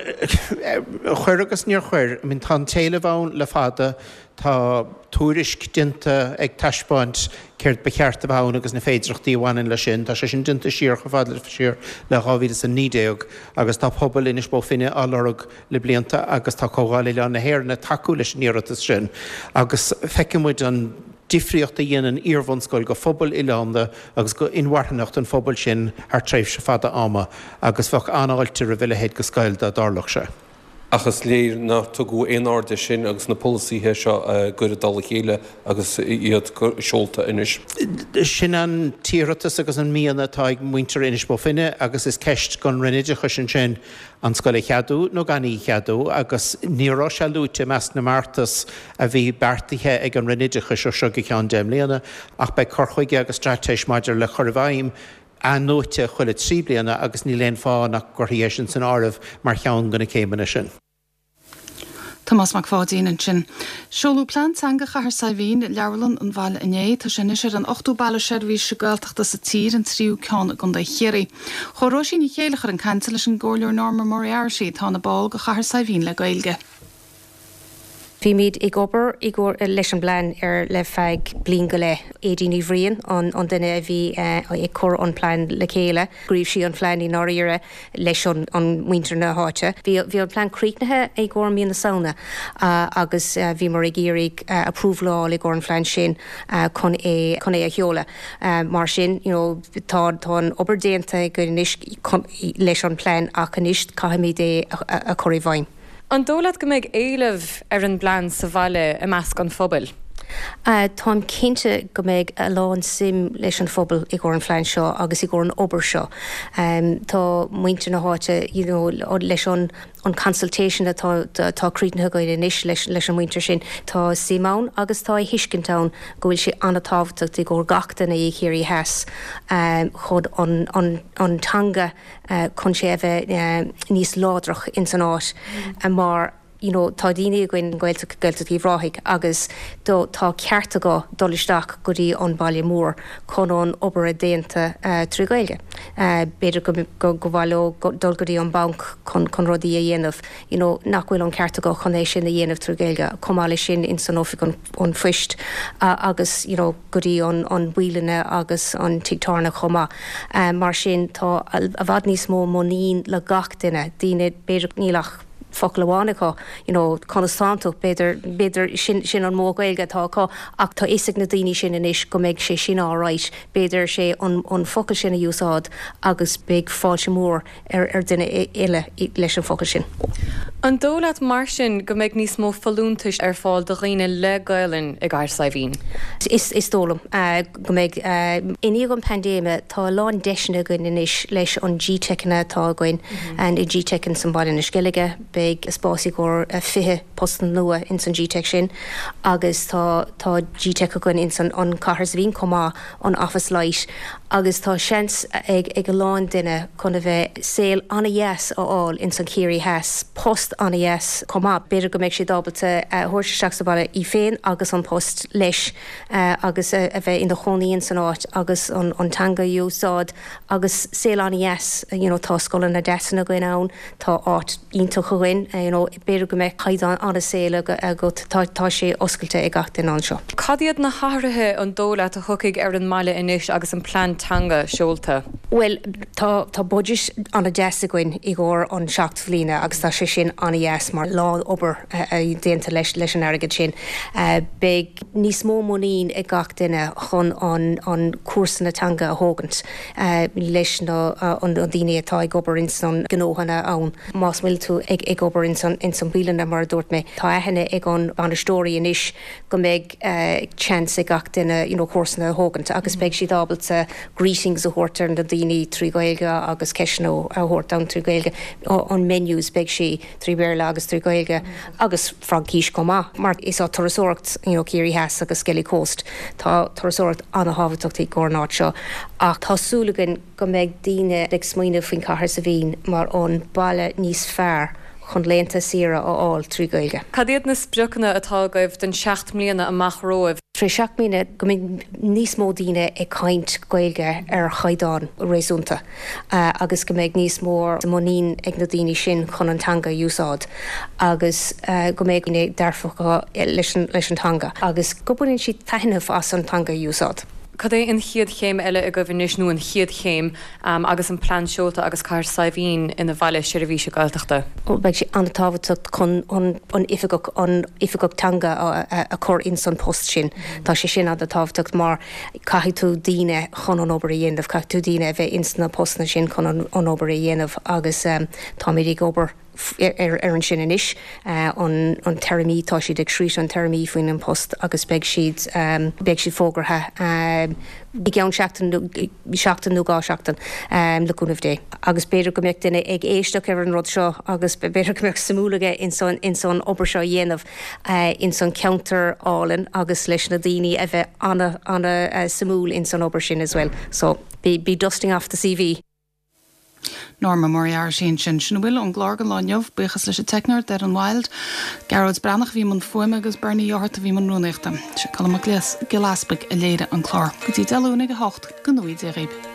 chuir agus níor chuir. I mean, tá an t-éileamh ann le fada, tá tuairisc déanta ag taispeáint céard ba cheart a bheith ann agus na féidearthachtaí a bhaineann leis sin. Tá sé sin déanta siar chomh fada le siar le 2019 agus tá pobal Inis Bó Finne á lorg le blianta agus tá Comhdháil Oileáin na hÉireann ag tacú leis an iarratas sin agus feiceann muid an difríocht a dhéanann iarbhunscoil go phobal oileánda agus go inmharthanacht an phobail sin thar tréimhse fada ama agus bheadh an-fháilte roimh a leithéid de scoil dá dtarlódh sé. Ach is léir nár tugadh aon aird air sin agus na polasaithe seo á gcur i dtoll a chéile agus iad seolta anois. Sin an t-iarratas agus an mian atá ag muintir Inis Bó Finne agus is ceist don Roinn Oideachais ansin an scoil a cheadú nó gan í a cheadú agus ní raibh sé luaite i measc na mbeartas a bhí beartaithe ag an Roinn Oideachais ó seo go ceann 10 mbliana ach beidh cur chuige agus straitéis maidir le cur i bhfeidhm athnuaite chuile 3 bliana agus níl aon fáth nach gcuirfí é sin san áireamh mar cheann de na céimeanna sin. Tomás Mac Pháidín ansin. Seoladh Plean Teanga Chathair Saidhbhín i Leabharlann an bhaile inné. Tá sé anois ar an ochtú baile seirbhíse Gaeltachta sa tír, an tríú ceann i gContae Chiarraí. Chuaigh Róisín Ní Chéilleachair chun cainte leis an gComhairleoir Norma Moriarty, atá ina ball de Chathair Saidhbhín le Gaeilge. Bhímid ag obair i gcomhar leis an bplean ar le feadh bliain go leith. Aedín Ní Bhriain an an duine a bhí ag cur an plean le chéile. Scríobh sí an plean i ndáiríre leis an an muintir na háite. Bhí bhí an plean críochnaithe i gcomhair mí na Samhna agus bhíomar ag iarraidh approval a fháil i gcomhair an phlean sin chun é chun é a sheoladh. Mar sin you know tá tá an obair déanta againn anois chun leis an plean ach anois caithfimid é a chur i bhfeidhm. An dóigh leat go mbeidh éileamh ar an bplean sa bhaile i measc an phobail? Táim cinnte go mbeidh a lán suim leis an phobal i gcomhair an phlean seo agus i gcomhair an obair seo. Tá muintir na háite you know leis an an consultation atá atá críochnaithe againn anois leis leis an muintir sin, tá suim ann agus tá a thuiscint ann go bhfuil sé an-tábhachtach i gcomhair gach duine i Chiarraí Theas chun an an an teanga chun sé a bheith níos láidreach ins an áit mar you know tá daoine againn Gaeltacht Gaeltacht Uíbh Ráthaigh agus do tá ceart acu dul isteach go dtí an baile mór chun an obair a déanta trí Ghaeilge. B'fhéidir go go go mhaith leo dul go dtí an banc chun chun rudaí a dhéanamh you know nach bhfuil an ceart acu chun é sin a dhéanamh trí Ghaeilge. Chomh maith leis sin ins an oifig an an phoist agus you know go dtí an an bialanna agus an tigh tábhairne chomh maith. Mar sin tá i bhfad níos mó muinín le gach duine, daoine b'fhéidir níl ach focal amháin acu you know conas tánn tú, b'fhéidir b'fhéidir sin sin an modh Gaeilge atá acu ach tá fhios ag na daoine sin anois go mbeidh sé sin alright, b'fhéidir sé an an focal sin a úsáid agus beidh fáilte mór ar duine eile leis an focal sin. An dóigh leat mar sin go mbeidh níos mó folúntais ar fáil do dhaoine le Gaelainn i gCathair Saidhbhín? Is dóigh liom go mbeidh. I ndiaidh an paindéime tá a lán deiseanna againn anois leis an GTeiceanna atá againn, an GTeic in san Baile na Sceilge, beidh. Beidh spás i gcomhair 20 post nua ins an GTeic sin agus tá tá GTeic againn ins an an Cathair Saidhbhín chomh maith, an Office Lite, agus tá seans ag ag a lán duine chun a bheith saol an-dheas a fháil ins an Chiarraí Theas, post an-dheas chomh maith. B'fhéidir go mbeidh siad ábalta a thabhairt isteach sa bhaile í féin agus an post leis agus a bheith ina chónaí ins an áit agus an an teanga a úsáid agus saol an-dheas, you know tá scoileanna deasa againn ann, tá áit iontach againn, you know b'fhéidir go mbeidh caighdeán an-saoil agat, tá tá sé oscailte ag gach duine anseo. Cad iad na hathruithe an dóigh leat a thiocfaidh ar an mbaile anois agus an plean teanga seolta? Bhuel tá tá budget an-deas againn i gcomhair an 7 bhliana agus tá sé sin an-dheas mar lán obair déanta leis leis an airgead sin. Beidh níos mó muinín ag gach duine chun an an cúrsanna teanga a thógaint leis na an daoine atá ag obair ins an gnóthanna ann. Más bhfuil tú ag ag obair ins an ins an bialanna mar a dúirt mé, tá aithne ag an bainisteoirí anois go mbeidh chance ag gach duine you know cúrsanna a thógaint agus beidh siad ábalta greetings a thabhairt ar na daoine trí Ghaeilge agus ceisteanna a thabhairt ann trí Ghaeilge. An menus beidh sé trí Bhéarla agus trí Ghaeilge agus Fraincis chomh maith mar is á turasóireacht you know Ciarraí Theas agus Skellig Coast tá turasóireacht ana-thábhachtach i gcomhair an áit seo ach tá súil againn go mbeidh daoine ag smaoineamh faoin Cathair Saidhbhín mar an baile níos fearr chun laethanta saoire a fháil trí Ghaeilge. Cad iad na spriocanna atá agaibh don 7 mbliana amach romhaibh? Tré 7 mbliana go mbeidh níos mó daoine ag caint Gaeilge ar chaighdeán réasúnta agus go mbeidh níos mó muinín ag na daoine sin chun an teanga a úsáid agus go mbeidh daoine dearfacha leis an teanga agus go mbaineann siad taitneamh as an teanga a úsáid. Cad é an chéad chéim eile agaibh anois, nó an chéad chéim, agus an plean seolta agus Cathair Saidhbhín ina bhaile seirbhíse Gaeltachta? Beidh sé an-tábhachtach chun an oifigeach, an oifigeach teanga a chur ins an post sin. Tá sé sin an-tábhachtach mar caithfidh tú daoine chun an obair a dhéanamh, caithfidh tú daoine a bheith ins na postanna sin chun an obair a dhéanamh agus táimid ag obair ar an sin anois, an téarmaí, tá siad ag scríobh an téarmaí faoin an post agus beidh siad, beidh siad fógartha i gceann seachtain, seachtain nó dhá sheachtain le cúnamh Dé. Agus b'fhéidir go mbeadh duine ag éisteacht ar an rud seo agus b'fhéidir go mbeadh suimiúil aige ins an, ins an obair seo a dhéanamh ins an ceantar álainn agus leis na daoine a bheith ana, ana suimiúil ins an obair sin as well. So, be, be dusting off the CV. Norma Moriarty ansin. Sin a bhfuil ón gclár don lá inniu. Buíochas leis an teicneoir, Darren Wilde, Gearóid Breathnach a bhí i mbun fuaime agus Bernie Ó hEarta a bhí i mbun rúnaíochta. Sé Colm Mac Giolla Easpaig a léirigh an clár. Go dtí Dé Luain ag a 8, go ngnóthaí Dia dhaoib.